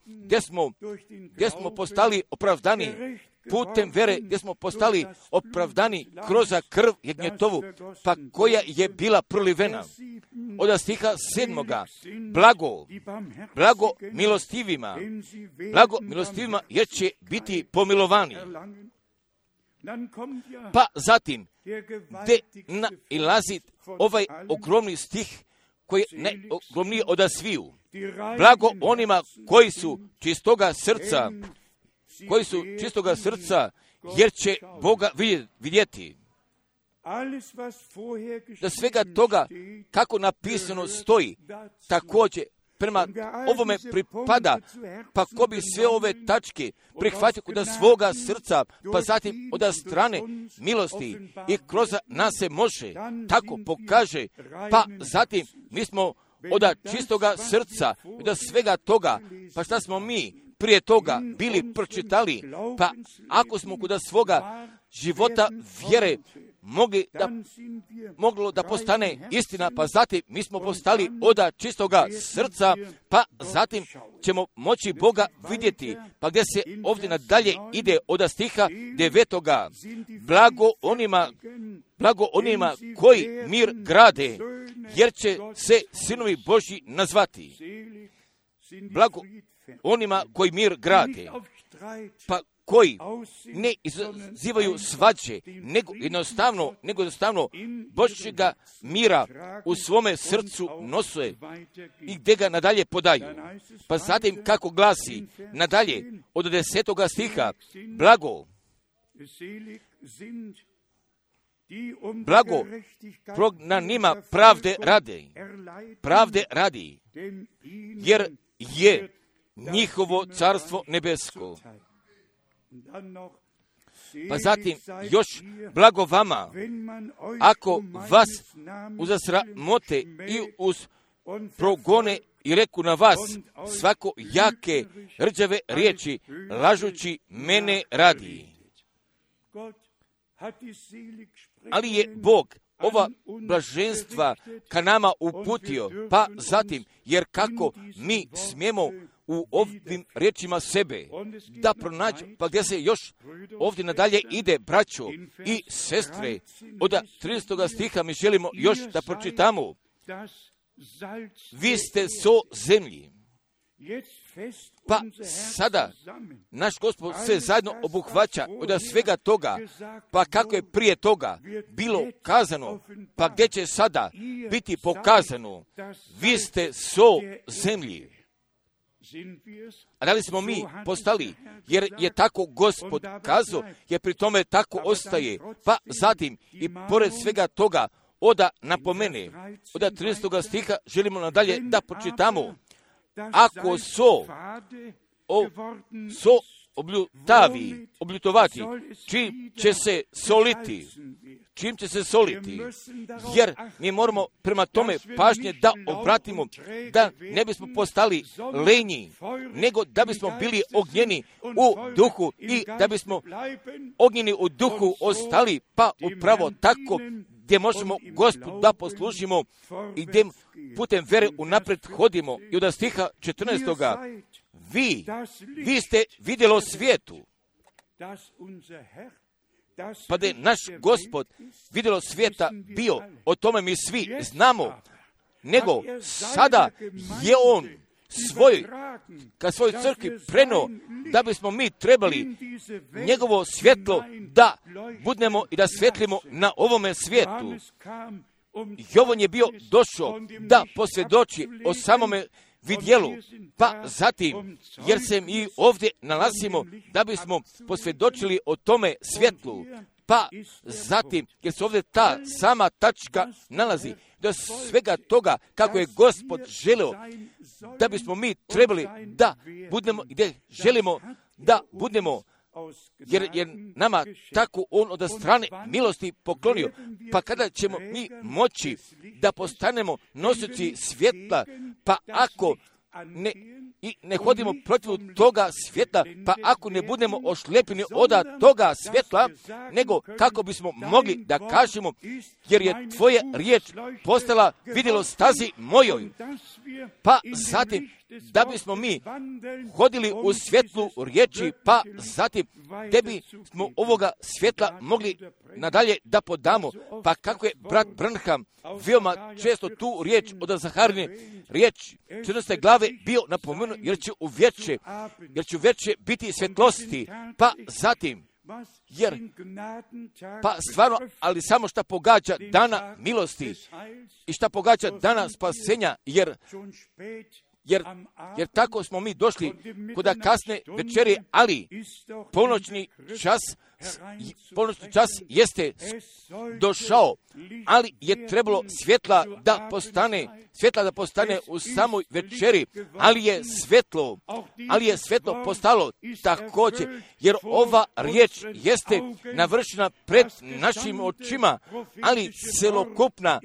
gdje smo postali opravdani putem vere, gdje smo postali opravdani kroz krv jagnjetovu, pa koja je bila prolivena. Od stiha 7. blago milostivima, jer će biti pomilovani. Pa zatim, gdje nailazi ovaj ogromni stih, koji je najogromniji od sviju. Blago onima koji su čistoga srca, jer će Boga vidjeti. Da svega toga, kako napisano stoji, također prema ovome pripada, pa ko bi sve ove tačke prihvatio kod svoga srca, pa zatim od strane milosti i kroz nas se može, tako pokaže, pa zatim mi smo od čistoga srca, od svega toga, pa šta smo mi prije toga bili pročitali, pa ako smo kod svoga života vjere moglo da postane istina, pa zatim mi smo postali od čistoga srca, pa zatim ćemo moći Boga vidjeti, pa gdje se ovdje nadalje ide od stiha 9. Blago onima koji mir grade, jer će se sinovi Božji nazvati. Blago onima koji mir grade, pa koji ne izazivaju svađe, nego jednostavno Božjega mira u svome srcu nose i gdje ga nadalje podaju. Pa zatim kako glasi nadalje od 10. stiha, blago prognanima pravde radi, jer je njihovo carstvo nebesko. pa zatim još blago vama, ako vas uzasramote i uz progone i reku na vas svako jake, rđave riječi, lažući mene radi. Ali je Bog ova blaženstva ka nama uputio, pa zatim, jer kako mi smijemo u ovim riječima sebe da pronađe, pa gdje se još ovdje nadalje ide, braćo i sestre, od 30. stiha mi želimo još da pročitamo. Vi ste so zemlji. Pa sada naš Gospod sve zajedno obuhvaća od svega toga, pa kako je prije toga bilo kazano, pa gdje će sada biti pokazano, vi ste so zemlji. A da li smo mi postali, jer je tako Gospod kazao, jer pri tome tako ostaje, pa zatim i pored svega toga oda napomene, od 30. stiha želimo nadalje da pročitamo, ako so obljutovati, čim će se soliti, jer mi moramo prema tome pažnje da obratimo, da ne bismo postali lenji, nego da bismo bili ognjeni u duhu i da bismo ognjeni u duhu ostali, pa upravo tako gdje možemo Gospodu da poslužimo i gdje putem vere unaprijed hodimo. I od stiha 14. Vi ste vidjelo svijetu, pa da je naš Gospod vidjelo svijeta bio, o tome mi svi znamo, nego sada je on ka svojoj crkvi preno, da bismo mi trebali njegovo svjetlo da budnemo i da svjetlimo na ovome svijetu. Jovan je bio došao da posvjedoči o samome vidjelu, pa zatim, jer se mi ovdje nalazimo da bismo posvjedočili o tome svjetlu, pa zatim, jer se ovdje ta sama tačka nalazi, do svega toga kako je Gospod želeo da bismo mi trebali da budemo gdje želimo da budemo, jer je nama tako on od strane milosti poklonio. Pa kada ćemo mi moći da postanemo nosioci svjetla, pa ako ne hodimo protiv toga svjetla, pa ako ne budemo ošlepljeni od toga svjetla, nego kako bismo mogli da kažemo, jer je tvoja riječ postala vidjelo stazi mojoj, pa zatim da bismo mi hodili u svjetlu riječi, pa zatim da bismo ovoga svjetla mogli nadalje da podamo, pa kako je brat Branham veoma često tu riječ od Zaharine, riječ 14. glave bio napomenuo, jer će u večer biti svjetlosti, pa zatim, pa stvarno, ali samo šta pogađa dana milosti i šta pogađa dana spasenja, jer tako smo mi došli kod kasne večeri, ali ponoćni čas jeste došao, ali je trebalo svjetla da postane u samoj večeri, ali je svjetlo postalo također, jer ova riječ jeste navršena pred našim očima, ali celokupna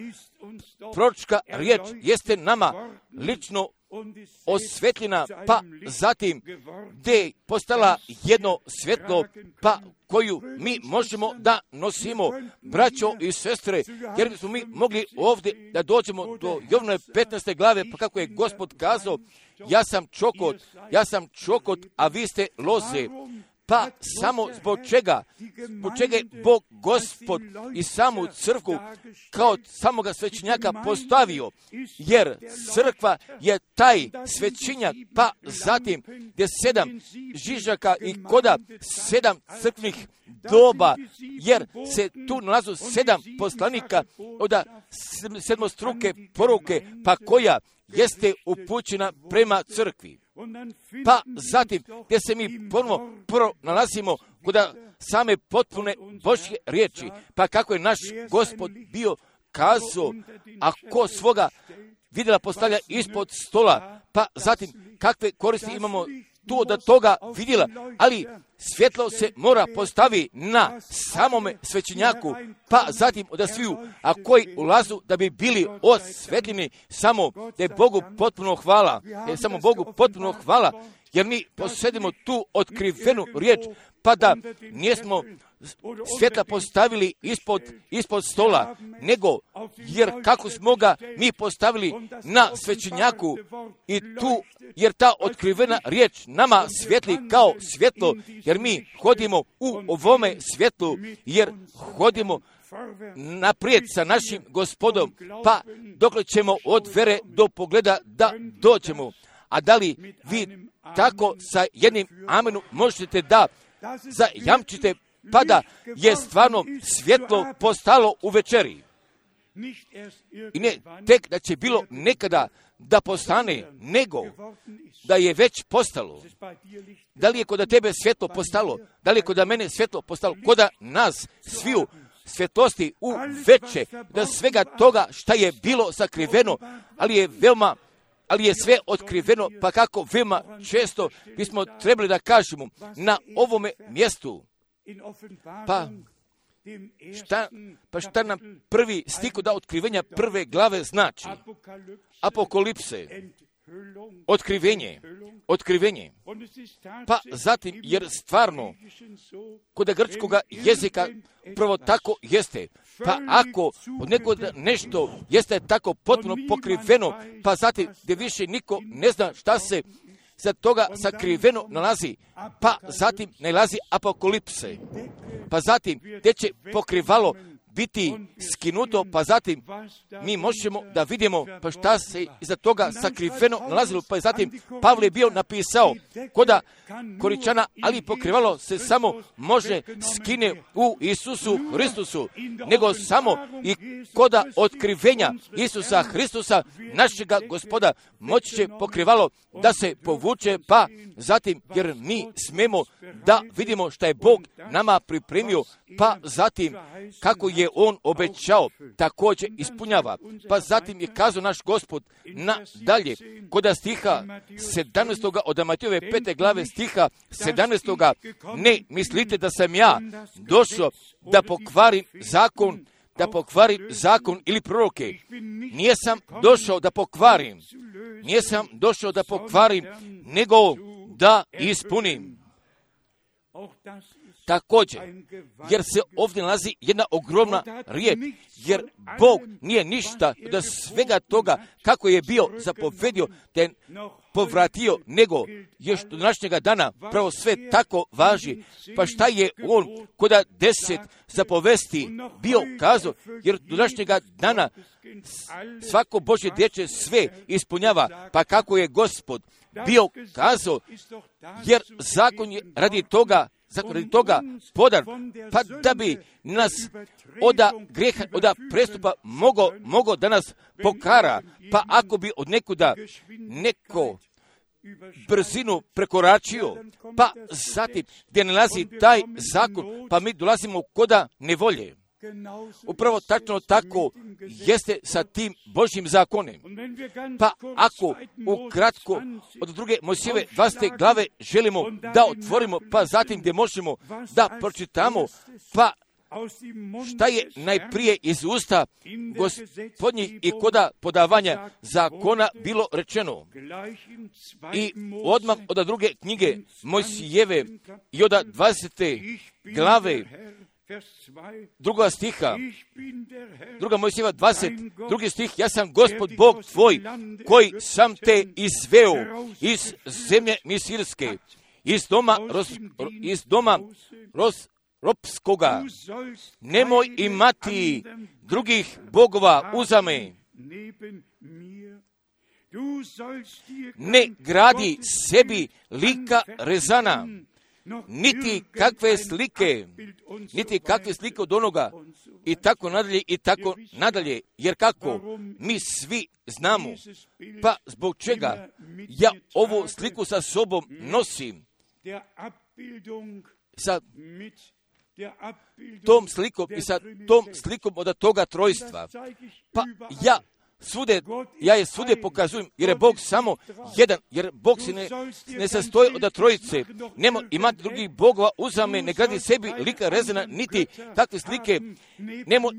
proročka riječ jeste nama lično osvetljena, pa zatim gdje je postala jedno svjetlo, pa koju mi možemo da nosimo, braćo i sestre, jer bismo mi mogli ovdje da dođemo do Jovnove 15. glave, pa kako je Gospod kazao, ja sam čokot, a vi ste loze. Pa samo zbog čega je Bog Gospod i samu crkvu kao samoga svećenjaka postavio, jer crkva je taj svećenjak, pa zatim gdje 7 žižaka i koda 7 crkvnih doba, jer se tu nalazu 7 poslanika od sedmostruke poruke, pa koja jeste upućena prema crkvi. Pa zatim, gdje se mi ponovo nalazimo kod same potpune Božje riječi, pa kako je naš Gospod bio kazao, a ko svoga vidjela postavlja ispod stola, pa zatim kakve koristi imamo tu od toga vidjela, ali svjetlo se mora postavi na samome svećenjaku, pa zatim od sviju, a koji ulazu da bi bili osvetljeni, samo da je Bogu potpuno hvala, samo Bogu potpuno hvala, jer mi posjedimo tu otkrivenu riječ, pa da nismo svjetla postavili ispod stola, nego jer kako smo ga mi postavili na svećenjaku i tu, jer ta otkrivena riječ nama svijetli kao svjetlo, jer mi hodimo u ovome svjetlu, jer hodimo naprijed sa našim Gospodom, pa dokle ćemo od vere do pogleda da dođemo. A da li vi tako sa jednim amenom možete da zajamčite, pa da je stvarno svjetlo postalo u večeri? I ne tek da će bilo nekada da postane, nego da je već postalo. Da li je kod tebe svjetlo postalo? Da li je kod mene svjetlo postalo? Kod nas sviju svjetlosti u veće, da svega toga šta je bilo sakriveno, ali je sve otkriveno, pa kako veoma često bismo trebali da kažemo na ovome mjestu. Pa šta nam prvi stih da otkrivenja prve glave znači? Apokalipse, otkrivenje. Pa zatim, jer stvarno, kod grčkoga jezika prvo tako jeste. Pa ako od nekoga nešto jeste tako potpuno pokriveno, pa zatim gdje više niko ne zna šta se za toga sakriveno nalazi, pa zatim nalazi apokalipse. Pa zatim gdje će pokrivalo biti skinuto, pa zatim mi možemo da vidimo pa šta se iza toga sakriveno nalazilo. Pa zatim Pavle je bio napisao koda Koričana, ali pokrivalo se samo može skine u Isusu Hristusu, nego samo i koda otkrivenja Isusa Hristusa, našega Gospoda, moći će pokrivalo da se povuče, pa zatim jer mi smemo da vidimo šta je Bog nama pripremio, pa zatim kako je On obećao, također ispunjava. Pa zatim je kazao naš Gospod nadalje, koda stiha 17. od Matejove 5. glave stiha 17. Ne mislite da sam ja došao da pokvarim zakon ili proroke. Nisam došao da pokvarim, nego da ispunim. Također, jer se ovdje nalazi jedna ogromna riječ, jer Bog nije ništa od svega toga kako je bio zapovedio da je povratio, nego još do današnjega dana pravo sve tako važi. Pa šta je On koda 10 zapovesti bio kazao, jer do današnjega dana svako Božje dječje sve ispunjava, pa kako je Gospod bio kazao, jer zakon je radi toga podan, pa da bi nas od greha, od prestupa mogo da nas pokara, pa ako bi od nekuda neko brzinu prekoračio, pa zatim gdje nalazi taj zakon, pa mi dolazimo koda nevolje. Upravo tačno tako jeste sa tim Božjim zakonom. Pa ako ukratko od druge Mojsijeve 20. glave želimo da otvorimo, pa zatim gdje možemo da pročitamo, pa šta je najprije iz usta Gospodnjih i koda podavanja zakona bilo rečeno. I odmah od druge knjige Mojsijeve i od 20. glave druga stiha, druga Mojsijeva 20, drugi stih, ja sam Gospod Bog tvoj, koji sam te izveo iz zemlje Misirske, iz doma ropskoga. Nemoj imati drugih bogova uzame. Ne gradi sebi lika rezana, niti kakve slike od onoga, i tako nadalje, jer kako mi svi znamo, pa zbog čega ja ovu sliku sa sobom nosim, sa tom slikom i sa tom slikom od toga trojstva, pa ja ja je svude pokazujem, jer je Bog samo jedan, jer Bog se ne sastoji od trojice. Nemo imati drugih bogova uzame, ne gradi sebi lika rezana, niti takve slike. Nemo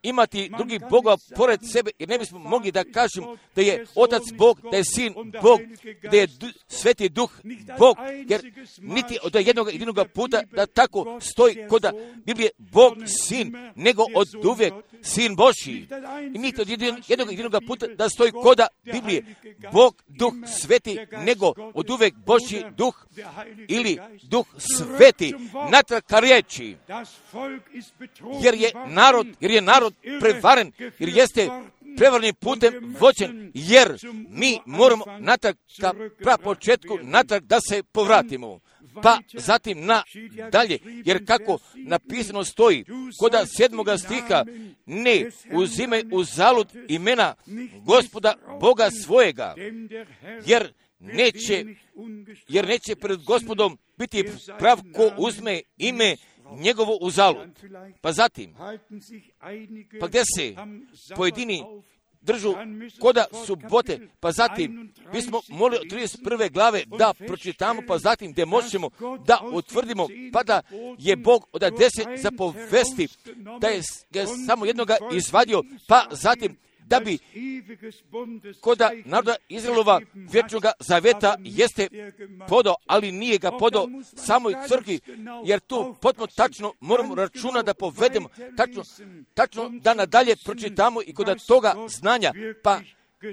imati drugih bogova pored sebe, jer ne bismo mogli da kažemo da je Otac Bog, da je Sin Bog, da je Sveti Duh Bog, jer niti od jednog puta da tako stoji kod Biblije Bog Sin, nego od uvijek Sin Božji. I niti od jednog puta da stoji kod Biblije Bog Duh Sveti, nego od uvijek Božji Duh ili Duh Sveti, natrag ka riječi. Jer je narod prevaren, jer jeste prevarnim putem vođen, jer mi moramo natrag ka prapočetku, natrag da se povratimo. Pa zatim dalje, jer kako napisano stoji kod 7. stiha, ne uzimaj uzalud imena Gospoda Boga svojega, jer neće pred Gospodom biti prav ko uzme ime njegovo uzalud. Pa zatim, pa gdje se pojedini držu koda subote, pa zatim bismo molili od 31. glave da pročitamo, pa zatim gdje možemo da utvrdimo, pa da je Bog od 10 zapovesti, da je samo jednoga izvadio, pa zatim da bi koda naroda Izraelova vječnoga zaveta jeste podao, ali nije ga podao samoj crkvi, jer tu potpuno tačno moramo računa da povedemo, tačno da nadalje pročitamo i kod toga znanja, pa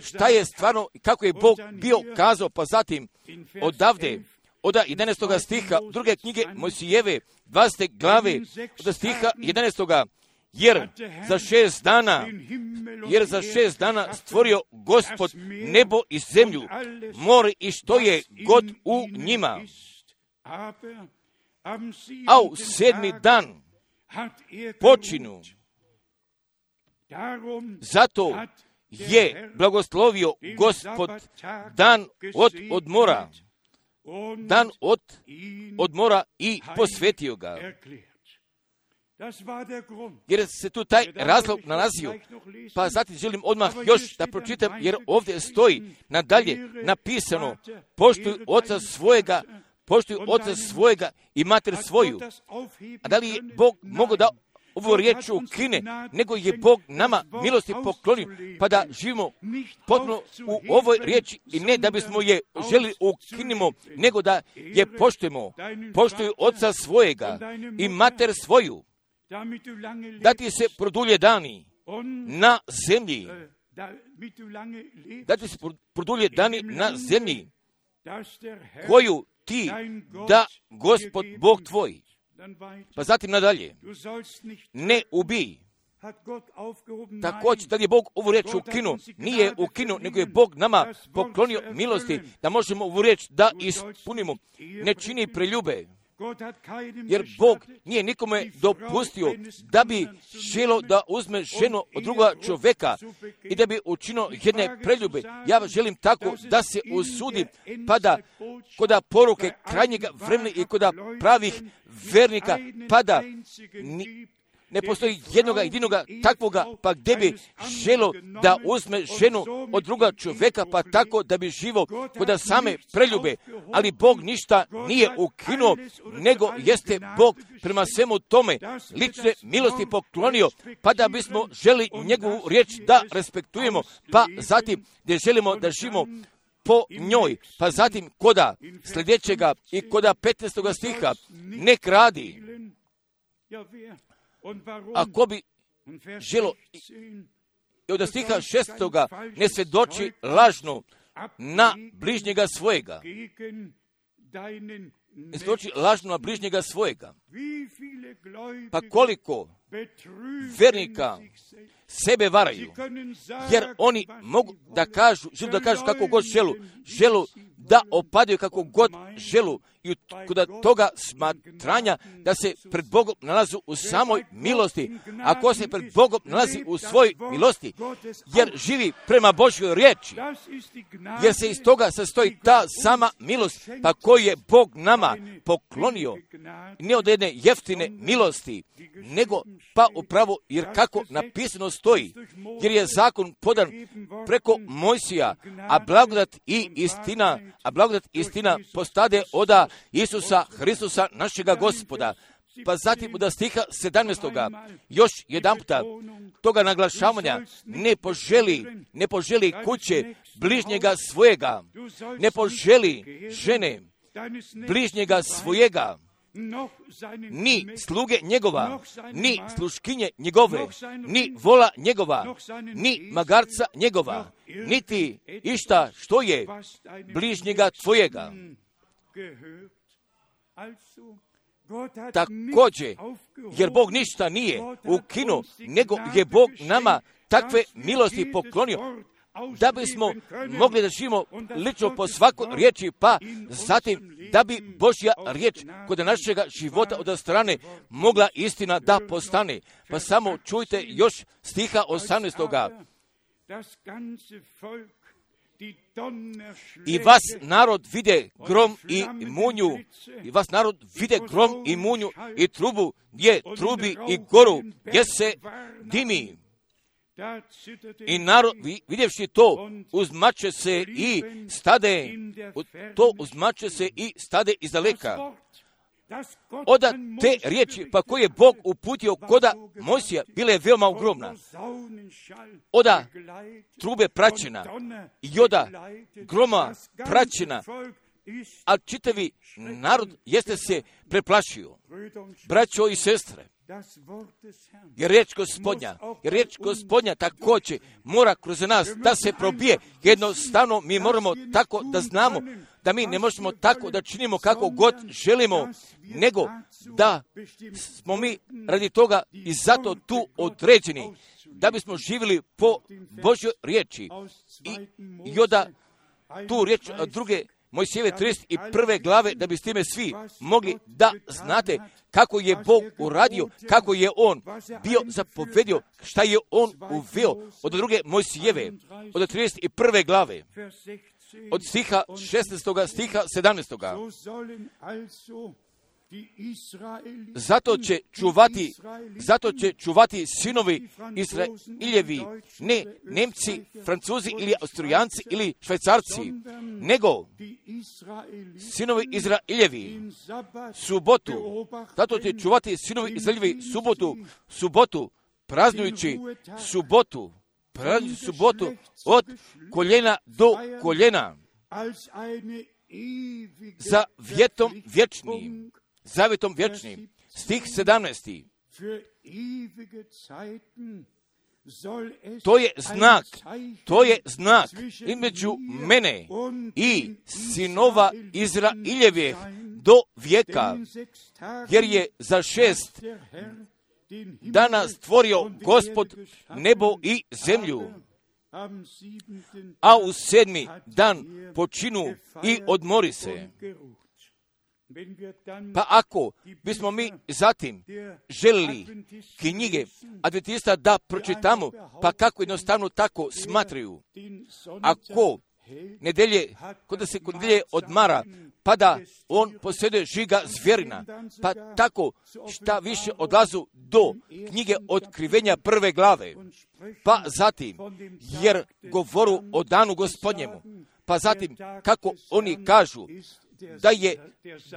šta je stvarno, kako je Bog bio kazao, pa zatim odavde, od 11. stiha druge knjige Mojsijeve, 20. glave, od stiha 11. Jer za 6 dana stvorio Gospod nebo i zemlju, more i što je god u njima. A u 7. dan počinu. Zato je blagoslovio Gospod dan od odmora i posvetio ga. Jer se tu taj razlog nalazio. Pa zatim želim odmah još da pročitam, jer ovdje stoji nadalje napisano, poštuj oca svojega i mater svoju. A da li je Bog mogao da ovu riječ ukine, nego je Bog nama milosti poklonio, pa da živimo potpuno u ovoj riječi i ne da bismo je želi ukinimo, nego da je poštujemo. Poštuj oca svojega i mater svoju, da ti se produlje dani na zemlji, da ti se produlje dani na zemlji, koju ti da Gospod Bog tvoj. Pa zatim nadalje, ne ubij. Također, da li je Bog ovu riječ ukinuo? Nije ukinuo, nego je Bog nama poklonio milosti da možemo ovu riječ da ispunimo. Ne čini preljube. Jer Bog nije nikome dopustio da bi želio da uzme ženu od druga čovjeka i da bi učinio jedne preljube. Ja želim tako da se usudim, pa da kod poruke krajnjega vremena i kod pravih vernika, pa da ne postoji jednoga takvoga, pa gdje bi želio da uzme ženu od druga čovjeka, pa tako da bi živo kod same preljube. Ali Bog ništa nije ukinuo, nego jeste Bog prema svemu tome lične milosti poklonio, pa da bismo želi njegovu riječ da respektujemo, pa zatim gdje želimo da živimo po njoj, pa zatim koda sljedećega i koda 15. stiha, ne kradi. Ako bi želo i od stiha 6. ne svjedoči lažno na bližnjega svojega. Ne svjedoči lažno na bližnjega svojega. Pa koliko vernika sebe varaju, jer oni mogu da kažu, žele da kažu kako god želu da opadaju kako god želu i kod toga smatranja da se pred Bogom nalazu u samoj milosti. Ako se pred Bogom nalazi u svojoj milosti, jer živi prema Božjoj riječi, jer se iz toga sastoji ta sama milost, pa koju je Bog nama poklonio, ne od jedne jeftine milosti, nego pa upravo, jer kako napisano stoji, jer je zakon podan preko Mojsija, a blagodat i istina postade oda Isusa Hristusa našega Gospoda. Pa zatim od stiha 17. još jedan puta toga naglašavanja, ne poželi kuće bližnjega svojega, ne poželi žene bližnjega svojega, ni sluge njegova, ni sluškinje njegove, ni vola njegova, ni magarca njegova, niti išta što je bližnjega tvojega. Također, jer Bog ništa nije ukinuo, nego je Bog nama takve milosti poklonio, da bismo mogli da živimo lično po svakoj riječi, pa zatim da bi Božja riječ kod našega života od strane mogla istina da postane. Pa samo čujte još stiha 18. I vas narod vide grom i munju, i trubu gdje trubi i goru gdje se dimi. I narod, vidjevši to, uzmače se i stade izdaleka. Oda te riječi, pa koje je Bog uputio koda Mojsija, bile je veoma ogromna. Oda trube praćena i oda groma praćena, a čitavi narod jeste se preplašio. Braćo i sestre, jer riječ Gospodnja također mora kroz nas da se probije. Jednostavno mi moramo tako da znamo da mi ne možemo tako da činimo kako god želimo, nego da smo mi radi toga i zato tu određeni, da bismo živjeli po Božjoj riječi. I onda tu riječ druge Mojsijeve 31. glave, da bi s time svi mogli da znate kako je Bog uradio, kako je On bio zapovedio, šta je On uveo od druge Mojsijeve, od 31. glave, od stiha 16. stiha 17. Zato će čuvati sinovi Izraeljevi, ne Nemci, Francuzi ili Austrijanci ili Švajcarci, nego sinovi Izraeljevi subotu. Zato će čuvati sinovi Izraeljevi subotu, praznujući subotu od koljena do koljena, zavjetom vječnim. Stih 17. To je znak između mene i sinova Izraeljevih do vijeka, jer je za 6 dana stvorio Gospod nebo i zemlju, a u 7. dan počinu i odmori se. Pa ako bismo mi zatim želili knjige Adventista da pročitamo, pa kako jednostavno tako smatraju, ako kod se kod nedelje odmara, pa da on posjeduje žiga zvjerina, pa tako šta više odlazu do knjige Otkrivenja 1. glave, pa zatim, jer govoru o danu Gospodnjemu, pa zatim kako oni kažu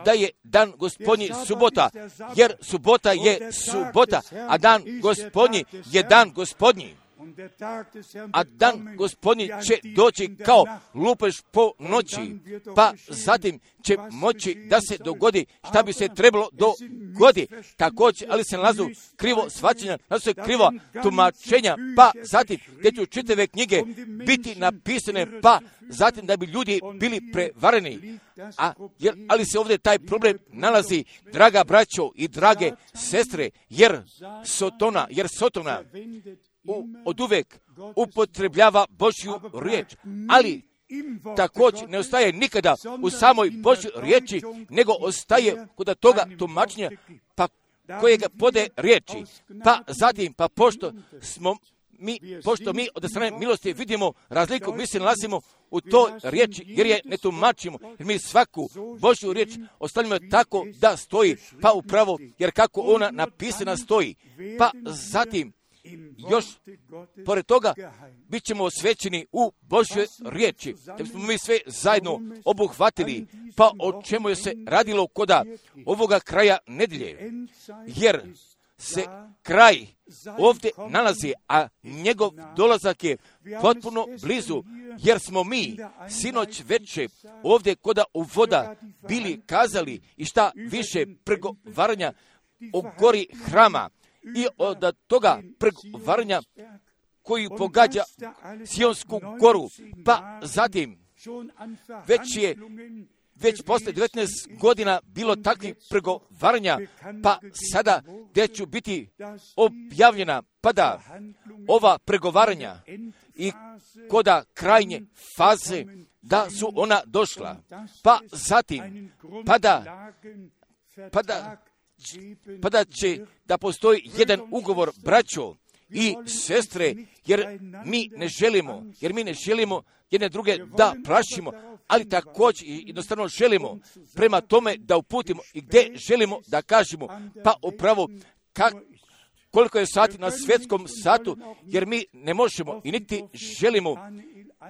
da je dan Gospodnji subota, jer subota je subota, a dan Gospodnji je dan Gospodnji. A dan Gospodnji će doći kao lupež po noći, pa zatim će moći da se dogodi šta bi se trebalo dogodi. Također, ali se nalazu krivo shvaćanja, nalazu se krivo tumačenja, pa zatim gdje će čitave knjige biti napisane, pa zatim da bi ljudi bili prevareni. Ali se ovdje taj problem nalazi, draga braćo i drage sestre, jer Sotona od uvek upotrebljava Božju riječ, ali također ne ostaje nikada u samoj Božjoj riječi, nego ostaje kod toga tumačenja, pa kojega podaje riječi. Pa zatim, pa pošto mi od strane milosti vidimo razliku, mi se nalazimo u toj riječi, jer je ne tumačimo, jer mi svaku Božju riječ ostavljamo tako da stoji, pa upravo, jer kako ona napisana stoji. Pa zatim, još pored toga, bit ćemo osvećeni u Božjoj riječi, da smo mi sve zajedno obuhvatili, pa o čemu je se radilo koda ovoga kraja nedjelje, jer se kraj ovdje nalazi, a njegov dolazak je potpuno blizu, jer smo mi sinoć večer ovdje koda uvoda bili kazali i šta više pregovaranja o gori hrama i od toga pregovaranja koji pogađa Sionsku goru, pa zatim već posle 19 godina bilo takvih pregovaranja, pa sada gdje ću biti objavljena, pa da ova pregovaranja i koda krajnje faze, da su ona došla, pa zatim, pa da će da postoji jedan ugovor, braćo i sestre, jer mi ne želimo jedne druge da plašimo, ali također jednostavno želimo prema tome da uputimo i gdje želimo da kažemo, pa upravo koliko je sati na svjetskom satu, jer mi ne možemo i niti želimo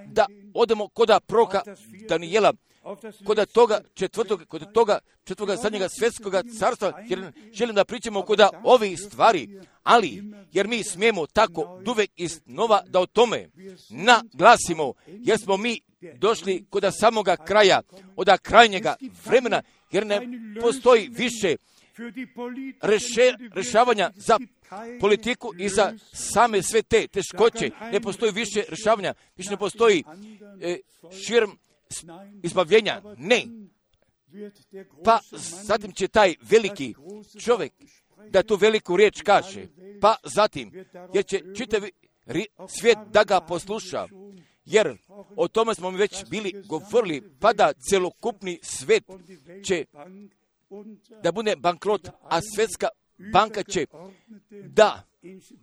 da odemo koda proroka Danijela, kod toga četvrtoga zadnjega svjetskoga carstva, jer želim da pričamo koda ovih stvari, ali jer mi smijemo tako duvek iznova da o tome naglasimo, jer smo mi došli koda samoga kraja, od krajnjega vremena, jer ne postoji više rješavanja za politiku i za same sve te teškoće, ne postoji više rješavanja, više ne postoji širm izbavljenja, ne. Pa zatim će taj veliki čovjek da tu veliku riječ kaže, pa zatim, jer će čitavi svijet da ga posluša, jer o tome smo mi već bili govorili, pa da celokupni svijet će da bude bankrot, a svjetska banka će da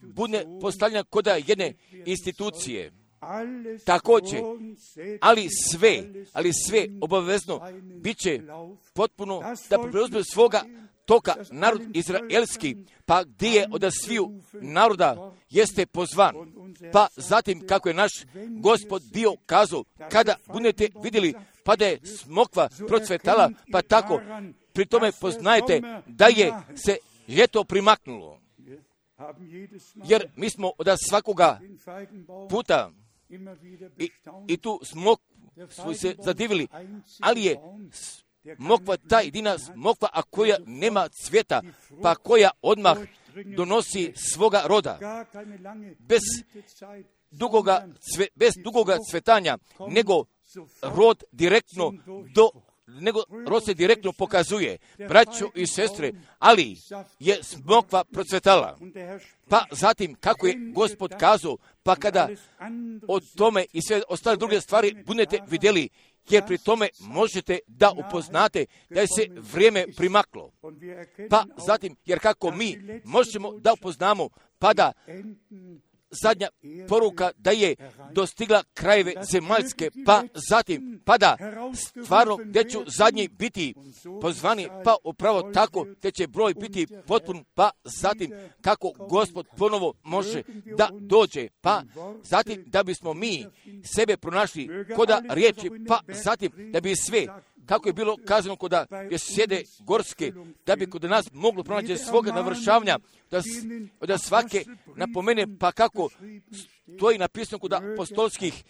bude postavljena kod jedne institucije. Također, ali sve obavezno bit će potpuno da preuzme svoga toka narod izraelski, pa gdje je od sviju naroda jeste pozvan. Pa zatim kako je naš Gospod bio kazao, kada budete vidjeli pa da je smokva procvetala, pa tako pri tome poznajete da je se ljeto primaknulo. Jer mi smo od svakoga puta i tu smo se zadivili, ali je smokva ta jedina smokva, a koja nema cvjeta, pa koja odmah donosi svoga roda, bez dugoga cvetanja, nego rod se direktno pokazuje, braćo i sestre, ali je smokva procvetala. Pa zatim, kako je Gospod kazao, pa kada o tome i sve ostale druge stvari budete vidjeli, jer pri tome možete da upoznate da je se vrijeme primaklo. Pa zatim, jer kako mi možemo da upoznamo, pa da zadnja poruka da je dostigla krajeve zemaljske, pa zatim, pa da stvarno gdje ću zadnji biti pozvani, pa upravo tako gdje će broj biti potpun, pa zatim kako Gospod ponovo može da dođe, pa zatim da bismo mi sebe pronašli koda riječi, pa zatim da bi sve, kako je bilo kazano koda je sjede gorske, da bi kod nas moglo pronaći svoga navršavanja, da svake napomene, pa kako to je napisano kod apostolskih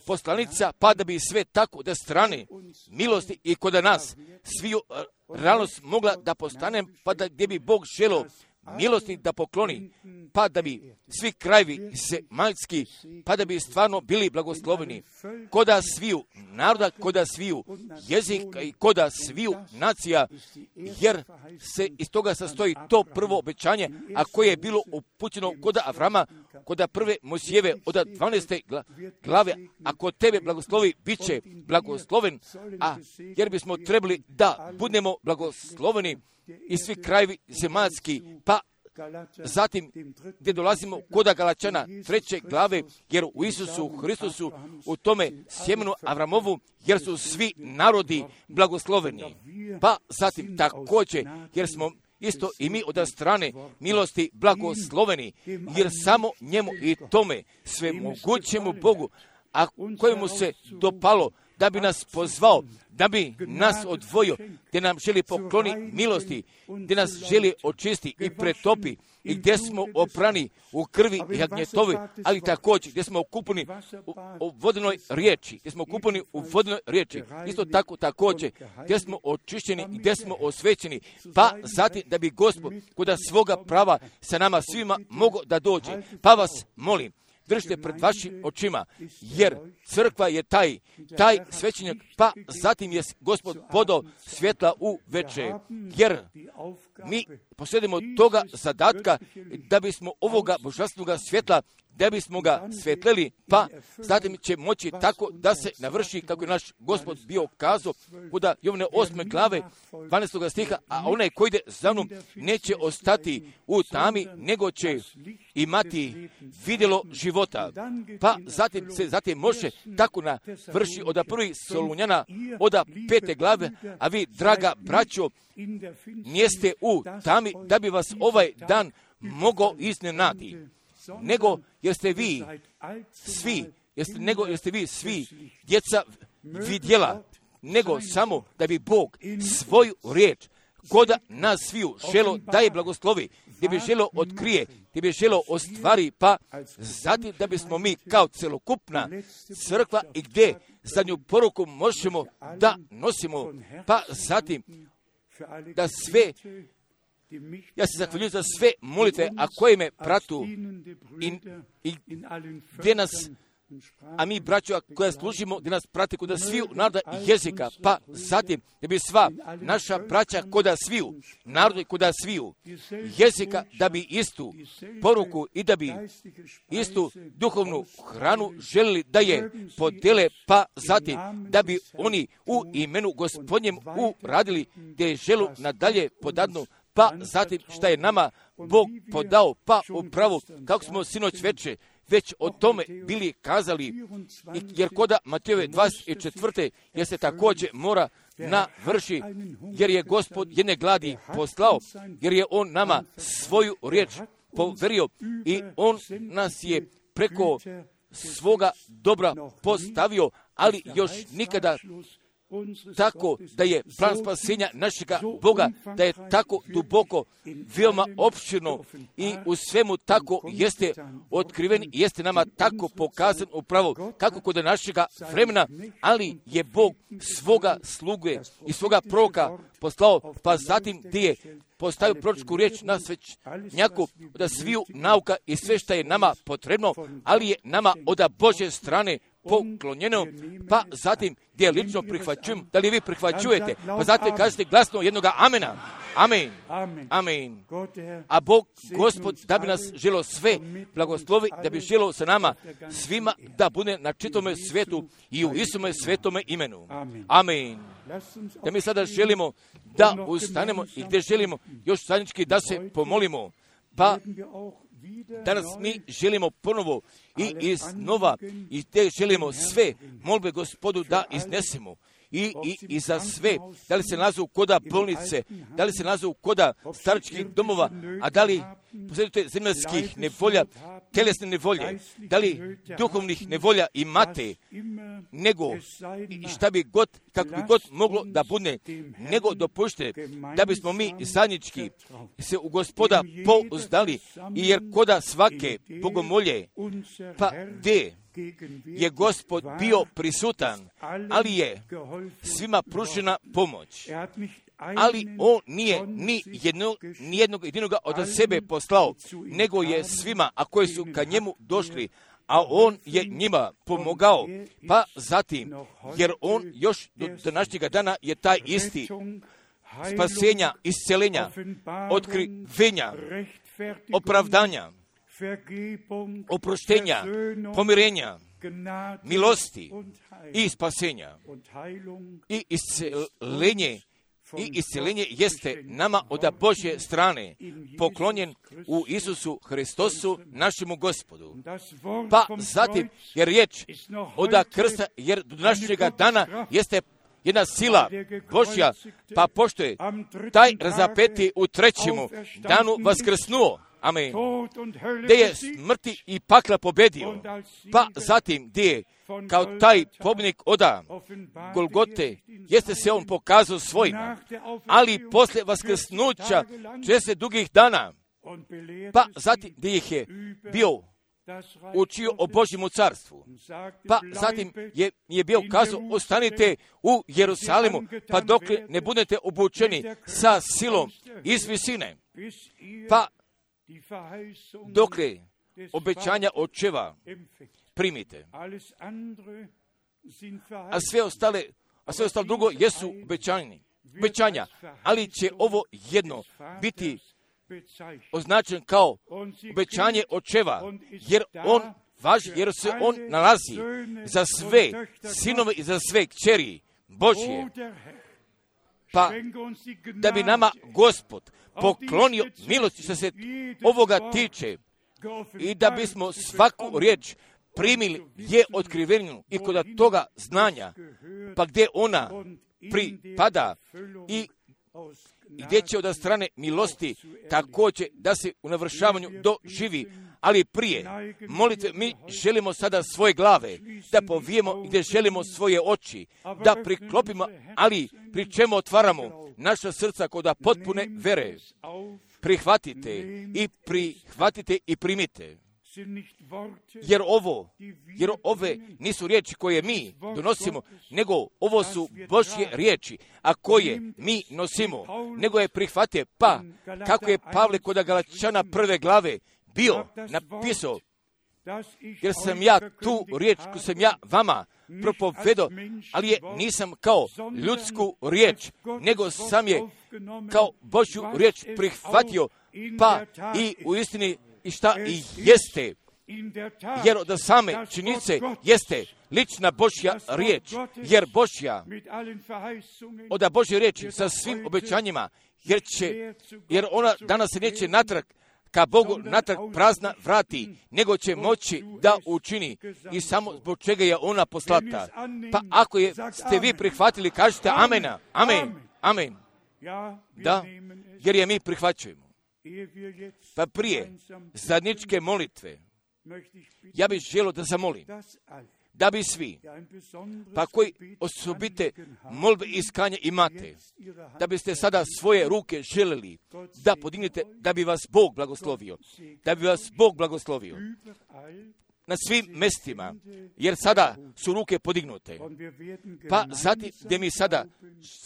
poslanica, pa da bi sve tako da strane milosti i kod nas sviju realnost mogla da postane, pa da gdje bi Bog želio milosti da pokloni, pa da bi svi krajevi zemaljski, pa da bi stvarno bili blagosloveni koda sviju naroda, koda sviju jezika i koda sviju nacija, jer se iz toga sastoji to prvo obećanje, a koje je bilo upućeno koda Avrama, koda prve Mojsijeve od 12. glave, a kod tebe blagoslovi, bit će blagosloven, a jer bismo trebali da budemo blagosloveni i svi krajevi zemaljski, pa zatim gdje dolazimo koda Galačana 3. glave, jer u Isusu Hristusu, u tome sjemenu Avramovu, jer su svi narodi blagosloveni. Pa zatim također, jer smo isto i mi od strane milosti blagosloveni, jer samo njemu i tome svemogućemu Bogu, a kojemu se dopalo da bi nas pozvao, da bi nas odvojio, gdje nam želi pokloni milosti, gdje nas želi očisti i pretopi, i gdje smo oprani u krvi i jagnjetovi, ali također gdje smo okupani u vodenoj riječi, isto tako također gdje smo očišćeni i gdje smo osvećeni, pa zatim da bi Gospod koda svoga prava sa nama svima mogao da dođe. Pa vas molim, držite pred vašim očima, jer crkva je taj svećenjak, pa zatim je Gospod podao svjetla u veče, jer mi posjedimo toga zadatka da bismo ovoga božanstvenog svjetla, da bismo ga svetleli, pa zatim će moći tako da se navrši kako je naš Gospod bio kazao kuda Jovane 8. glave 12. stiha, a onaj koji ide za mnom neće ostati u tami, nego će imati vidjelo života. Pa zatim može tako navrši od 1. Solunjana od 5. glave, a vi, draga braćo, nijeste u tami da bi vas ovaj dan mogao iznenati, nego jer ste vi svi djeca vidjela, nego samo da bi Bog svoju riječ koda nas sviju želo da je blagoslovi, gdje bi želo otkrije, gdje bi želo ostvari, pa zatim da bismo mi kao celokupna crkva i gdje zadnju poruku možemo da nosimo, pa zatim da sve, ja se zahvaljujem za sve molitve, a koje me pratu i gdje nas, a mi braćo koja služimo, gdje nas prate koda sviju naroda i jezika, pa zatim da bi sva naša braća koda sviju naroda i koda sviju jezika, da bi istu poruku i da bi istu duhovnu hranu želili da je podele, pa zatim da bi oni u imenu Gospodnjem uradili gdje je želu nadalje podadnu, pa zatim šta je nama Bog podao, pa upravo kako smo sinoć već o tome bili kazali, jer koda Matejove 24. jer se također mora navrši, jer je Gospod jedne gladi poslao, jer je On nama svoju riječ poverio i On nas je preko svoga dobra postavio, ali još nikada tako da je plan spasenja našega Boga, da je tako duboko, veoma opširno i u svemu tako jeste otkriven i jeste nama tako pokazan upravo kako kod našega vremena, ali je Bog svoga sluge i svoga proroka poslao, pa zatim gdje je postavio proročku riječ na svećnjaku da sviju nauka i sve što je nama potrebno, ali je nama od Božje strane poklonjeno, pa zatim gdje lično prihvaćujem, da li vi prihvaćujete, pa zatim kažete glasno jednoga amena. Amen. Amen. A Bog, Gospod, da bi nas želo sve blagoslovi, da bi želo sa nama svima da bude na čitome svijetu i u Isome svetome imenu. Amen. Da mi sada želimo da ustanemo i gdje želimo još zajednički da se pomolimo, pa danas mi želimo ponovo i iznova i te želimo sve molbe Gospodu da iznesemo. I za sve, da li se nalazu koda bolnice, da li se nalazu koda staračkih domova, a da li posjedujete zemaljskih nevolja, tjelesne nevolje, da li duhovnih nevolja imate, nego šta bi god, kako bi god moglo da bude, nego dopušte da bismo mi zajednički se u Gospoda pouzdali, i jer koda svake bogomolje, pa gdje je Gospod bio prisutan, ali je svima pružena pomoć. ali on nije ni jednog jedinoga od sebe poslao, nego je svima, a koji su ka njemu došli, a on je njima pomogao, pa zatim, jer on još do današnjega dana je taj isti spasenja, isceljenja, otkrivenja, opravdanja, oproštenja, pomirenja, milosti i spasenja i isceljenje. I isceljenje jeste nama od Božje strane poklonjen u Isusu Hristosu, našemu Gospodu. Pa zatim, jer riječ od krsta, jer do današnjega dana jeste jedna sila Božja, pa pošto je taj razapeti u trećemu danu vaskrsnuo, amen, gdje je smrti i pakla pobedio, pa zatim gdje je kao taj pobjednik oda Golgote, jeste se on pokazao svojima, ali poslije vaskrsnuća 60 dugih dana, pa zatim gdje ih je bio učio o Božjemu carstvu, pa zatim je bio kazao, ostanite u Jerusalimu, pa dok ne budete obučeni sa silom iz visine, pa dokle obećanja očeva primite. A sve ostalo drugo jesu obećanja, ali će ovo jedno biti označen kao obećanje očeva, jer on važi, jer se on nalazi za sve sinove i za sve kćeri Božje. Pa da bi nama Gospod poklonio milosti što se ovoga tiče i da bismo svaku riječ primili je otkrivenu i kod toga znanja, pa gdje ona pripada i gdje će od strane milosti također da se u navršavanju doživi. Ali prije molitve mi želimo sada svoje glave da povijemo, gdje želimo svoje oči da priklopimo, ali pri čemu otvaramo naša srca kod potpune vere. Prihvatite i primite. Jer ove nisu riječi koje mi donosimo, nego ovo su Božje riječi, a koje mi nosimo, nego je prihvatite. Pa, kako je Pavle kod Galačana 1. glave bio napisao, jer sam ja tu riječ koju sam ja vama propovedao, ali je nisam kao ljudsku riječ, nego sam je kao Božju riječ prihvatio, pa i u istini i šta i jeste, jer od same činjenice jeste lična Božja riječ, jer Božja, od Božje riječi sa svim obećanjima, jer ona danas se neće natrag ka Bogu natrag prazna vrati, nego će moći da učini i samo zbog čega je ona poslata. Pa ako ste vi prihvatili, kažete amena, amen. Da, jer je mi prihvaćujemo. Pa prije zajedničke molitve, ja bih želio da zamolim, da bi svi, pa koji osobite molbe i iskanja imate, da biste sada svoje ruke želeli da podignete, da bi vas Bog blagoslovio. Na svim mestima, jer sada su ruke podignute. Pa zatim gdje mi sada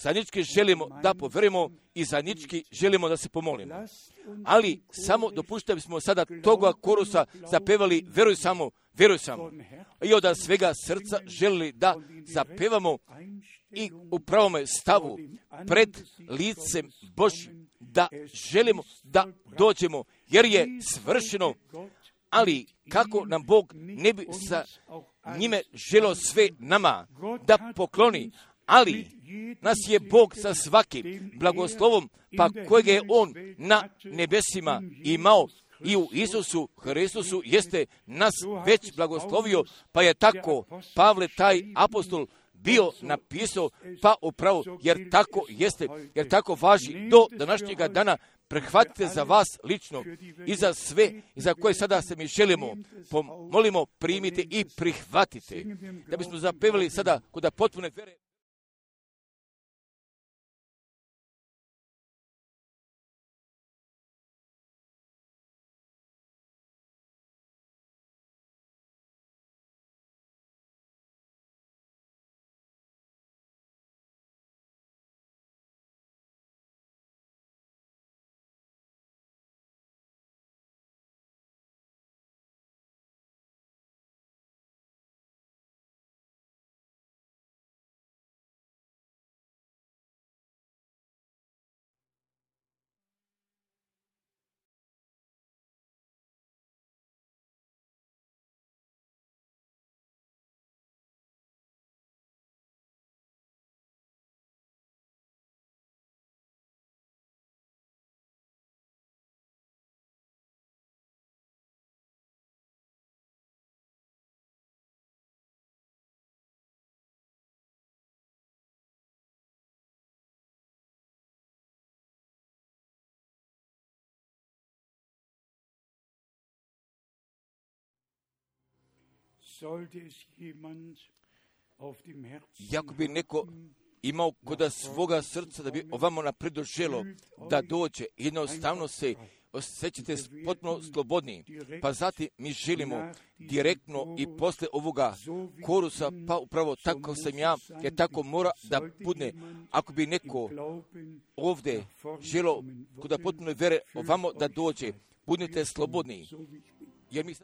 zajednički želimo da poverujemo i zajednički želimo da se pomolimo. Ali samo dopušta bismo sada toga korusa zapevali veruj samo. I od svega srca želili da zapevamo i u pravome stavu pred licem Božjim, da želimo da dođemo, jer je svršeno. Ali kako nam Bog ne bi sa njime želio sve nama da pokloni, ali nas je Bog sa svakim blagoslovom, pa kojeg je On na nebesima imao i u Isusu Hristusu jeste nas već blagoslovio, pa je tako Pavle taj apostol bio napisao, pa upravo, jer tako jeste, jer tako važi do današnjega dana. Prihvatite za vas lično i za sve i za koje sada se mi želimo, molimo, primite i prihvatite, da bismo zapevali sada kod potpune vere. Jako bi neko imao kod svoga srca da bi ovamo napredo želo da dođe, jednostavno se osjećate potpuno slobodni, pa zatim mi želimo direktno i posle ovoga korusa, pa upravo tako sam ja, jer tako mora da bude. Ako bi neko ovdje želo kod potpuno vere ovamo da dođe, budite slobodni, jer mi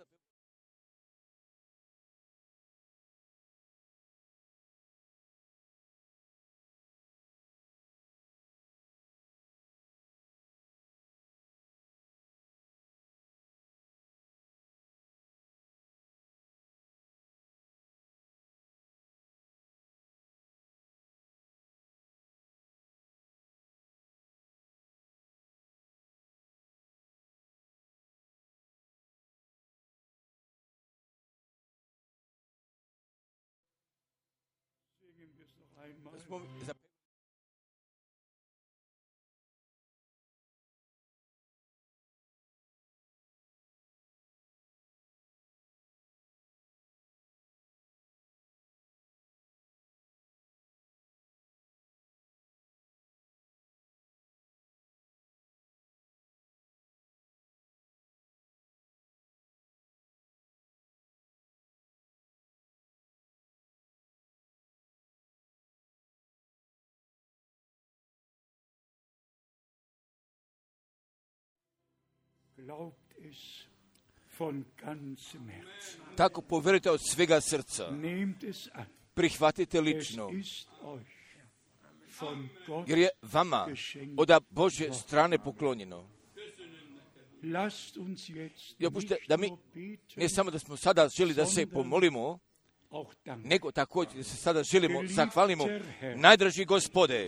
tako povjerujte od svega srca. Prihvatite lično, jer je vama od Božje strane poklonjeno. Dopustite da mi, ne samo da smo sada želi da se pomolimo, nego također da se sada želimo, zahvalimo, najdraži Gospode,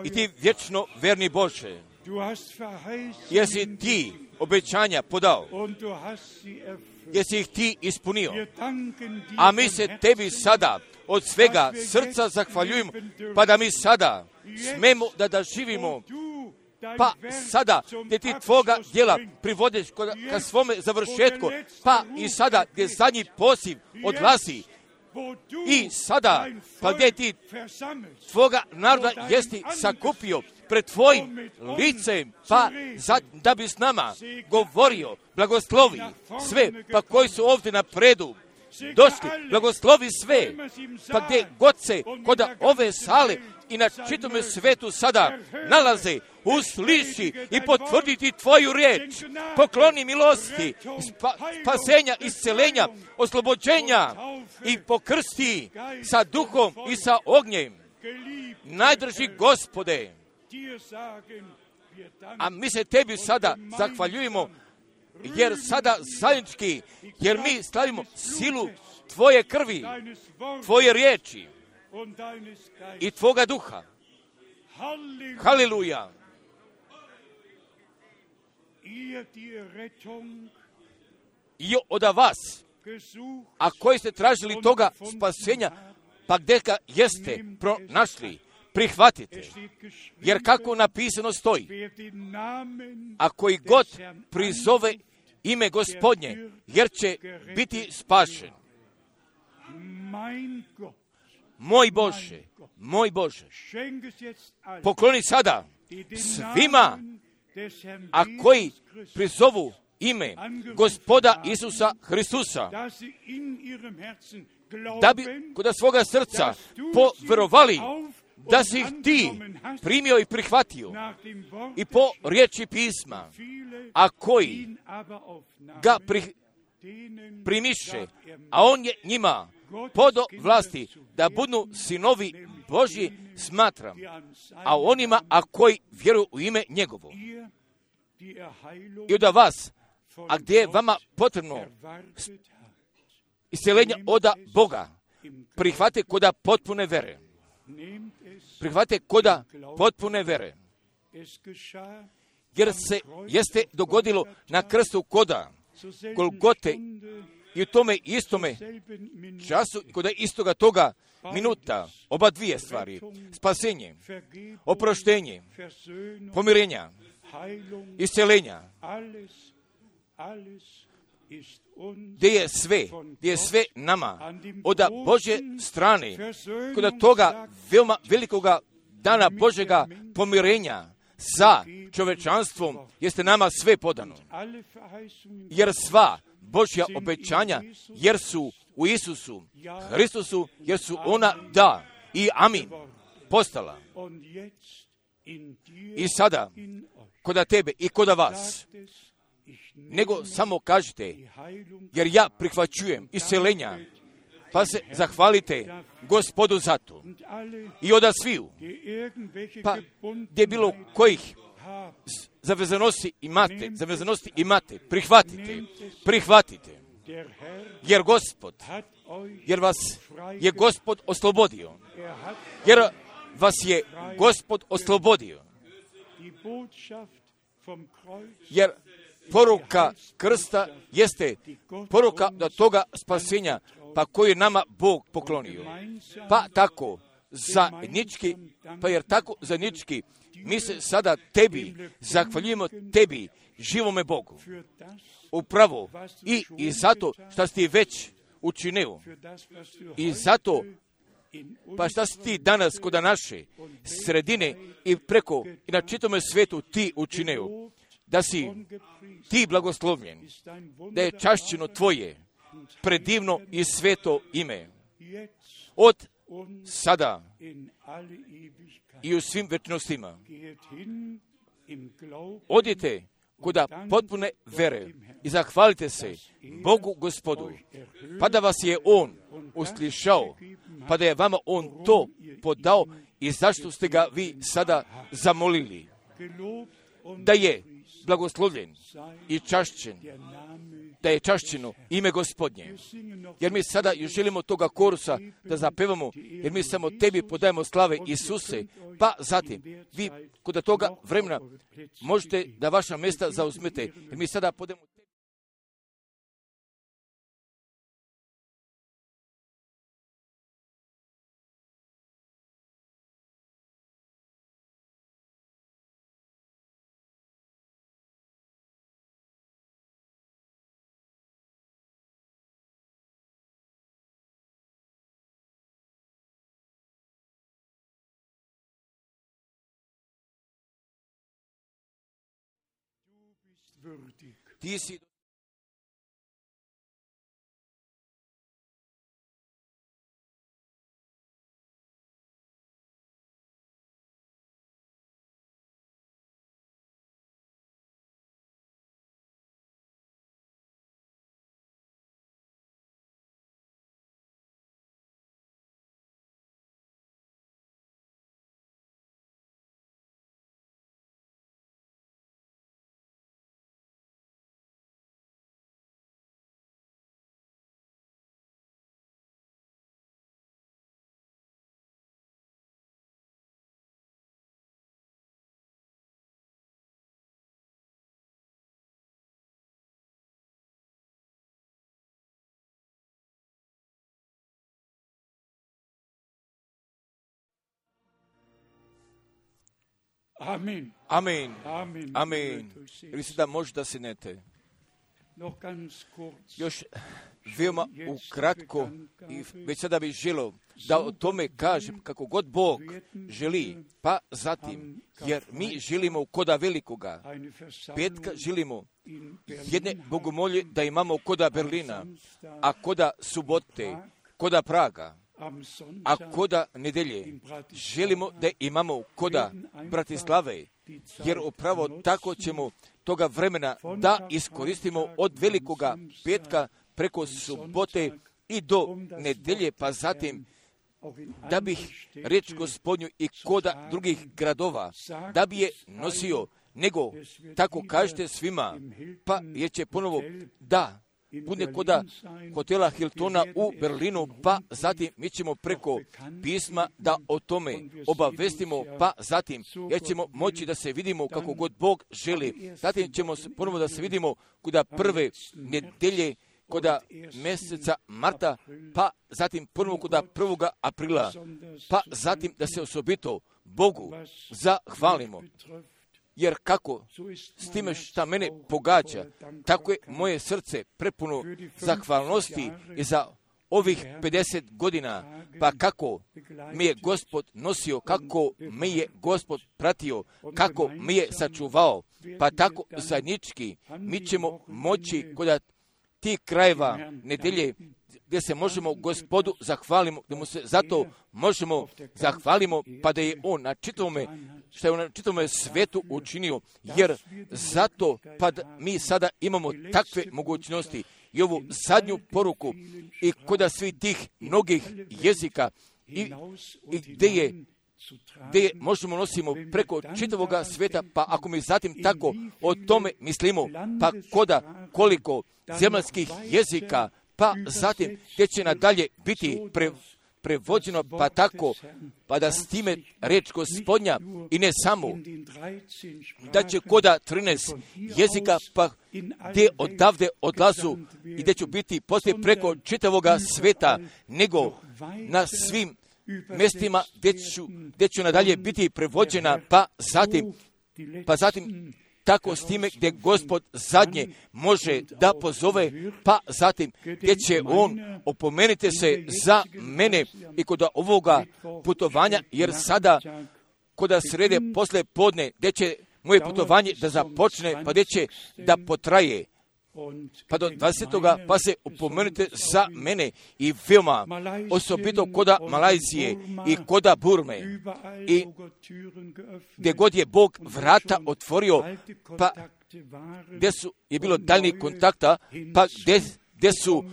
i ti vječno verni Bože, jer si ti obećanja podao, jer si ih ti ispunio, a mi se tebi sada od svega srca zahvaljujemo, pa da mi sada smemo da živimo, pa sada gdje ti tvoga djela privodiš ka svome završetku, pa i sada gdje zadnji poziv odlazi, i sada pa gdje ti tvoga naroda jesi sakupio pred tvojim licem, pa da bi s nama govorio, blagoslovi sve, pa koji su ovdje napredu došli, blagoslovi sve, pa gdje god se kod ove sale i na čitome svetu sada nalaze, usliši i potvrditi tvoju riječ, pokloni milosti, spasenja, iscelenja, oslobođenja i pokrsti sa duhom i sa ognjem. Najdrži Gospode, a mi se tebi sada zahvaljujemo, jer sada zajednički, jer mi slavimo silu tvoje krvi, tvoje riječi i tvoga duha. Haleluja! I od vas, a koji ste tražili toga spasenja, pa gdje ga jeste pronašli, prihvatite, jer kako napisano stoji, a koji god prizove ime Gospodnje, jer će biti spašen. Moj Bože, pokloni sada svima, a koji prizovu ime Gospoda Isusa Hristusa, da bi kod svoga srca poverovali da si ih ti primio i prihvatio i po riječi pisma, a koji ga primiše, a on je njima podo vlasti da budu sinovi Božji, smatram, a onima, a koji vjeruju u ime njegovo. I od vas, a gdje je vama potrebno isceljenje od Boga, prihvate koda potpune vere. Prihvate koda potpune vere. Jer se jeste dogodilo na krstu koda Golgote i u tome istome času, kod istoga toga minuta, oba dvije stvari, spasenje, oproštenje, pomirenja, isceljenja, gdje je sve nama, od Božje strane, kod toga veoma velikoga dana Božega pomirenja sa čovečanstvom, jeste nama sve podano. Jer sva Božja obećanja, jer su u Isusu Hristusu, jer su ona da i amin postala. I sada, koda tebe i koda vas, nego samo kažite, jer ja prihvaćujem isceljenja, pa se zahvalite Gospodu za to. I oda sviju, pa gdje bilo kojih zavezanosti imate, prihvatite, jer vas je Gospod oslobodio, jer poruka krsta jeste poruka do toga spasenja, pa koju je nama Bog poklonio. Pa tako zajednički, mi se sada tebi zahvaljujemo, tebi, živome Bogu. Upravo i zato što si ti već učinio. I zato, pa šta si ti danas kod naše sredine i preko i na čitome svijetu ti učinio, da si ti blagoslovljen, da je čašćeno tvoje predivno i sveto ime. Od sada i u svim večnostima. Odite kuda potpune vere i zahvalite se Bogu Gospodu, pa da vas je On uslišao, pa da je vama On to podao i zašto ste ga vi sada zamolili. Da je blagoslovljen i čašćen, da je čašćeno ime Gospodnje. Jer mi sada još želimo toga korusa da zapevamo, jer mi samo tebi podajemo slave Isuse, pa zatim vi kod toga vremena možete da vaša mjesta zauzmete, jer mi sada podajemo tebi. Ti si Amen. Amen. Amen. Amen. Ili se da možda sinete. Još veoma ukratko i već sada bih želio da o tome kažem kako god Bog želi, pa zatim, jer mi želimo koda velikoga petka, želimo jedne bogomolje da imamo koda Berlina, a koda subote, koda Praga, a koda nedelje želimo da imamo koda Bratislave, jer upravo tako ćemo toga vremena da iskoristimo od velikoga petka preko subote i do nedelje, pa zatim da bih riječ Gospodnju i koda drugih gradova, da bi je nosio, nego tako kažete svima, pa jer će ponovo da bude koda hotela Hiltona u Berlinu, pa zatim mi ćemo preko pisma da o tome obavestimo, pa zatim jer ćemo moći da se vidimo kako god Bog želi. Zatim ćemo ponovo da se vidimo kuda prve nedelje koda mjeseca marta, pa zatim ponovo koda 1. aprila, pa zatim da se osobito Bogu zahvalimo. jer kako s time šta mene pogađa, tako je moje srce prepuno zahvalnosti i za ovih 50 godina, pa kako mi je Gospod nosio, kako mi je Gospod pratio, kako mi je sačuvao, pa tako zajednički mi ćemo moći kod tih krajeva nedelje gdje se možemo Gospodu zahvalimo, gdje mu se zato možemo zahvalimo, pa da je on na čitavome, što je on na čitavome svetu učinio, jer zato pa mi sada imamo takve mogućnosti i ovu zadnju poruku i kod svih tih mnogih jezika i gdje možemo nosimo preko čitavoga sveta, pa ako mi zatim tako o tome mislimo, pa koliko zemaljskih jezika, pa zatim gdje će nadalje biti prevođeno, pa tako, pa da s time reč Gospodnja i ne samo, da će koda 13 jezika, pa gdje odavde odlazu i gdje će biti poslije preko čitavoga sveta, nego na svim mjestima gdje ću nadalje biti prevođena, pa zatim tako s time gdje Gospod zadnje može da pozove, pa zatim gdje će on opomenite se za mene i kod ovoga putovanja, jer sada kod srede posle podne gdje će moje putovanje da započne, pa gdje će da potraje, pa do 20. pa se upomenite za mene i veoma osobito koda Malajzije i koda Burme i gdje god je Bog vrata otvorio, pa gdje je bilo daljnjih kontakta, pa gdje su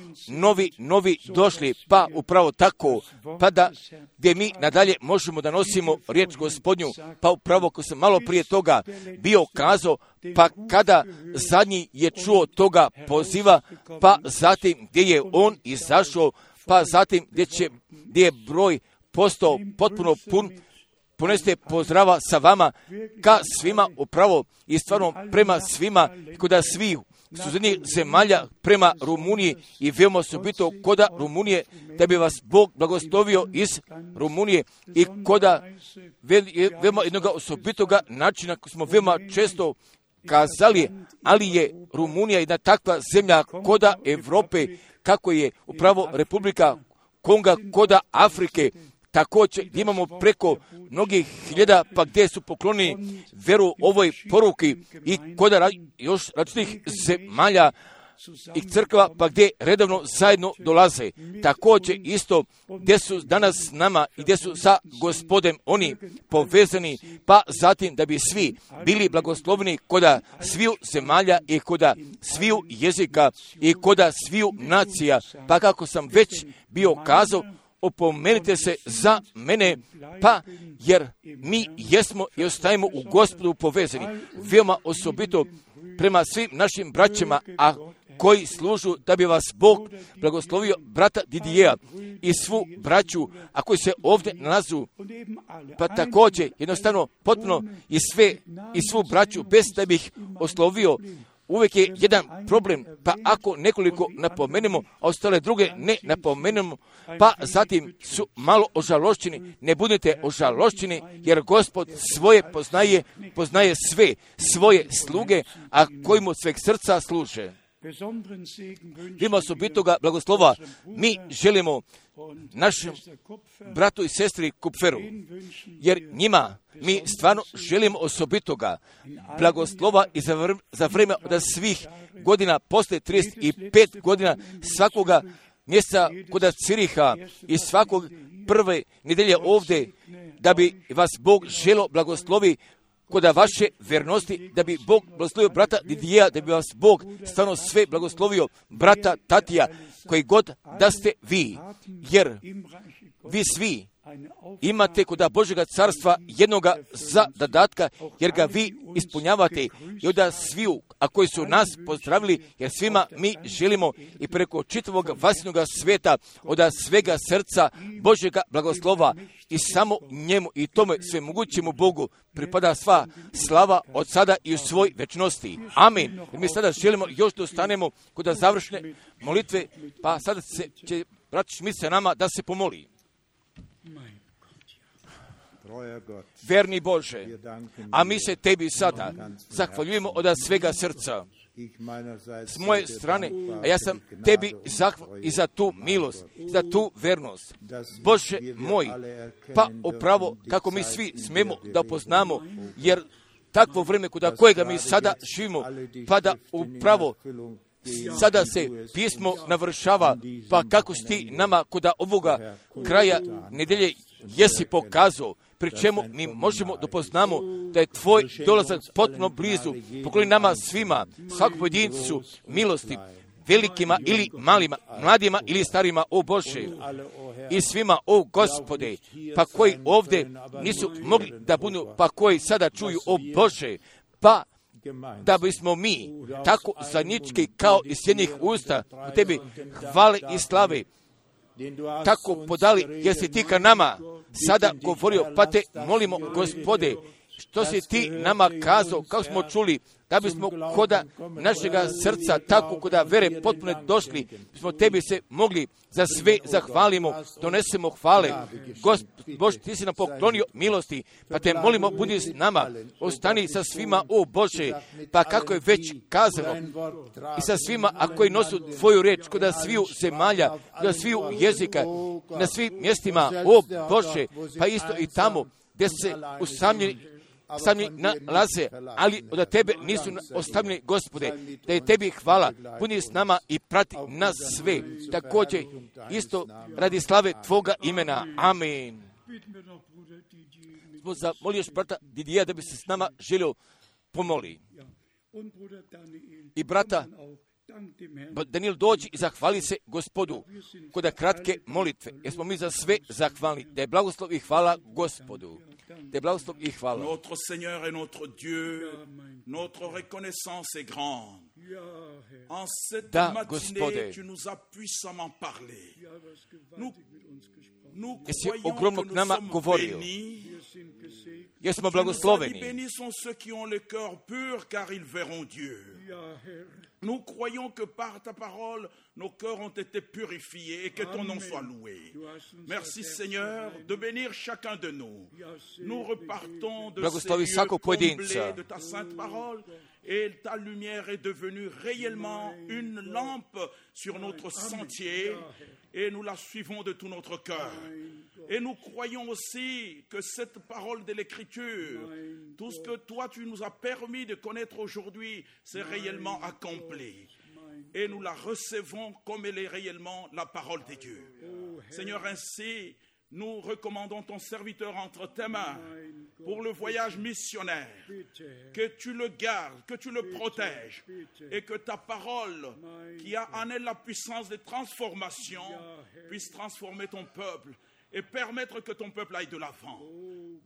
novi došli, pa upravo tako, pa da gdje mi nadalje možemo da nosimo riječ Gospodnju, pa upravo ko sam malo prije toga bio kazao, pa kada zadnji je čuo toga poziva, pa zatim gdje je on izašao, pa zatim gdje je broj postao potpuno pun, poneste pozdrava sa vama ka svima upravo i stvarno prema svima, kod svih susjednih zemalja prema Rumuniji i veoma osobito koda Rumunije, da bi vas Bog blagoslovio iz Rumunije i koda veoma jednog osobitoga načina koji smo veoma često kazali, ali je Rumunija jedna takva zemlja koda Evrope, kako je upravo Republika Konga koda Afrike, također imamo preko mnogih hiljada, pa gdje su poklonili veru ovoj poruki i kod još različitih zemalja i crkva, pa gdje redovno zajedno dolaze. Također isto gdje su danas s nama i gdje su sa Gospodem oni povezani, pa zatim da bi svi bili blagosloveni koda sviju zemalja i koda sviju jezika i koda sviju nacija, pa kako sam već bio kazao, opomenite se za mene, pa jer mi jesmo i ostajemo u Gospodu povezani, veoma osobito prema svim našim braćama, a koji služu da bi vas Bog blagoslovio, brata Didijeja i svu braću, a koji se ovdje nalazu, pa također jednostavno potpuno i svu braću, bez da bih oslovio. Uvijek je jedan problem, pa ako nekoliko napomenemo, a ostale druge ne napomenemo, pa zatim su malo ožalošćeni, ne budete ožalošćeni, jer Gospod svoje poznaje sve svoje sluge, a koji mu sveg srca služe. Ima osobitoga blagoslova mi želimo našem bratu i sestri Kupferu, jer njima mi stvarno želimo osobitoga blagoslova i za vreme od svih godina, posle 35 godina svakoga mjeseca kod Ciriha i svakog prve nedelje ovdje, da bi vas Bog želo blagoslovi kod vaše vernosti, da bi Bog blagoslovio brata Didijeja, da bi vas Bog stvarno sve blagoslovio brata Tatija, koji god da ste vi, jer vi svi imate kod Božjega carstva jednoga zadatka, jer ga vi ispunjavate i onda sviju, a koji su nas pozdravili, jer svima mi želimo i preko čitavog vasilnog sveta od svega srca Božjega blagoslova i samo njemu i tome sve mogućemu Bogu pripada sva slava od sada i u svoj večnosti. Amin. I mi sada želimo još da ostanemo kod završne molitve, pa sada će brat Šmit sa nama da se pomoli. verni Bože, a mi se Tebi sada zahvaljujemo od svega srca. S moje strane, a ja sam Tebi zahvalan i za tu milost, za tu vernost. Bože moj, pa upravo kako mi svi smemo da poznamo, jer takvo vreme kuda kojega mi sada živimo, pa da upravo sada se pismo navršava, pa kako si ti nama kuda ovoga kraja nedelje jesi pokazao, pri čemu mi možemo da poznamo da je tvoj dolazak potpuno blizu. Pokloni nama svima, svakom pojedincu milosti, velikima ili malima, mladima ili starima, o Bože, i svima, o Gospode, pa koji ovdje nisu mogli da budu, pa koji sada čuju, o Bože, pa da bismo mi tako zajednički kao iz jednih usta u Tebi hvale i slave tako podali, jer si ti ka nama sada govorio, pa te molimo, Gospode, što si ti nama kazao, kako smo čuli, da bismo koda našega srca, tako koda vere potpuno došli, bismo Tebi se mogli za sve zahvalimo, donesemo hvale. Bože, ti si nam poklonio milosti, pa te molimo, budi s nama, ostani sa svima, o Bože, pa kako je već kazano, i sa svima, a koji nosu tvoju reč, koda sviju zemalja, koda sviju jezika, na svim mjestima, o Bože, pa isto i tamo, gdje se usamljeni nalaze, ali od Tebe nisu ostavljeni, Gospode, da je Tebi hvala, budi s nama i prati nas sve, također isto radi slave Tvoga imena. Amen. Zamolio još brata Didija da bi se s nama želio pomoli. I brata Daniel dođi i zahvali se Gospodu kod kratke molitve, jer smo mi za sve zahvalni, da je blagoslov i hvala Gospodu. Da je blagoslov i hvala. Notre Seigneur et notre Dieu, notre reconnaissance est grande. En cette matinée, tu nous as puissamment parlé. Nous croyons que nous sommes bénis. Jesmo blagosloveni. Bénis sont ceux qui ont le cœur pur, car ils verront Dieu. Nous croyons que par ta parole, nos cœurs ont été purifiés et que ton nom soit loué. Merci Seigneur de bénir chacun de nous. Nous repartons de ces lieux comblés de ta sainte parole et ta lumière est devenue réellement une lampe sur notre sentier et nous la suivons de tout notre cœur. Et nous croyons aussi que cette parole de l'Écriture, tout ce que toi tu nous as permis de connaître aujourd'hui, c'est réellement accompli. Et nous la recevons comme elle est réellement la parole de Dieu. Seigneur, ainsi, nous recommandons ton serviteur entre tes mains pour le voyage missionnaire. Que tu le gardes, que tu le protèges et que ta parole, qui a en elle la puissance de transformation, puisse transformer ton peuple et permettre que ton peuple aille de l'avant.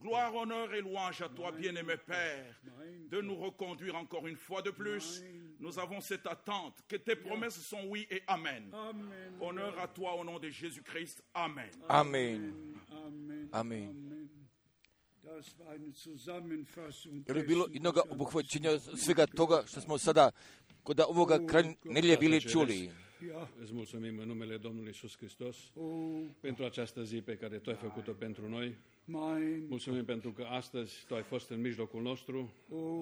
Gloire, honneur et louange à toi, bien-aimé Père, de nous reconduire encore une fois de plus. Nous avons cette attente, que tes promesses sont oui et amen. Honneur à toi au nom de Jésus-Christ. Amen. Amen. Amen. Jer je bilo jednoga obuhvaćenja svega toga što smo sada kod ovoga kraja nedelje bili čuli. Îți mulțumim în numele Domnului Iisus Hristos pentru această zi pe care Tu ai făcut-o pentru noi. Mulțumim pentru că astăzi Tu ai fost în mijlocul nostru.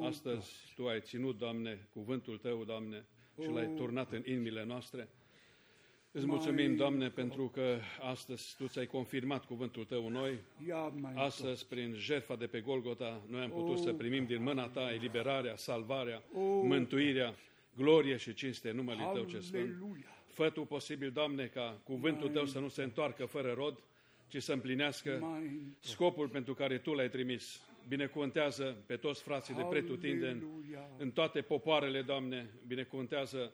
Astăzi Tu ai ținut, Doamne, cuvântul Tău, Doamne, și l-ai turnat în inimile noastre. Îți mulțumim, Doamne, pentru că astăzi Tu ți-ai confirmat cuvântul Tău în noi. Astăzi, prin jertfa de pe Golgota, noi am putut să primim din mâna Ta eliberarea, salvarea, mântuirea, glorie și cinste în numele Tău ce sfânt. Fă Tu posibil, Doamne, ca cuvântul Tău să nu se întoarcă fără rod, ci să împlinească scopul pentru care Tu l-ai trimis. Binecuvântează pe toți frații de pretutindeni, în toate popoarele, Doamne, binecuvântează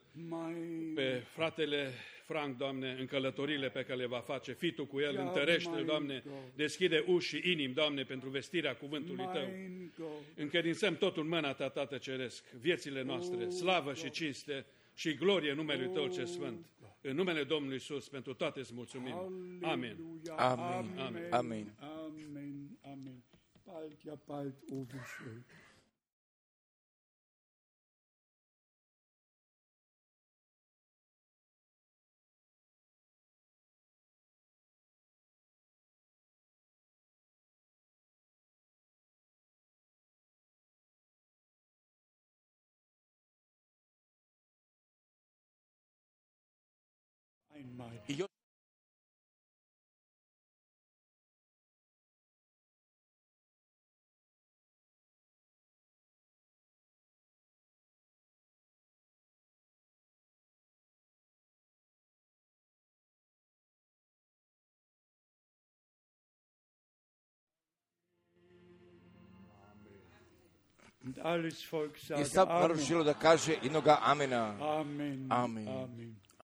pe fratele Frank, Doamne, în călătorile pe care le va face, fii Tu cu el, întărește-l, Doamne, deschide uși și inimi, Doamne, pentru vestirea cuvântului Tău. Încredințăm totul în mâna Ta, Tată Ceresc, viețile noastre, slavă și cinste și glorie numelui Tău ce sfânt. În numele Domnului Iisus, pentru toate îți mulțumim. Amen. Amen. Amen. Amen. Amen. Bald, ja bald, oh wie schön. I sav narod želo da kaže jednoga amena. Amen. Amen. Amen.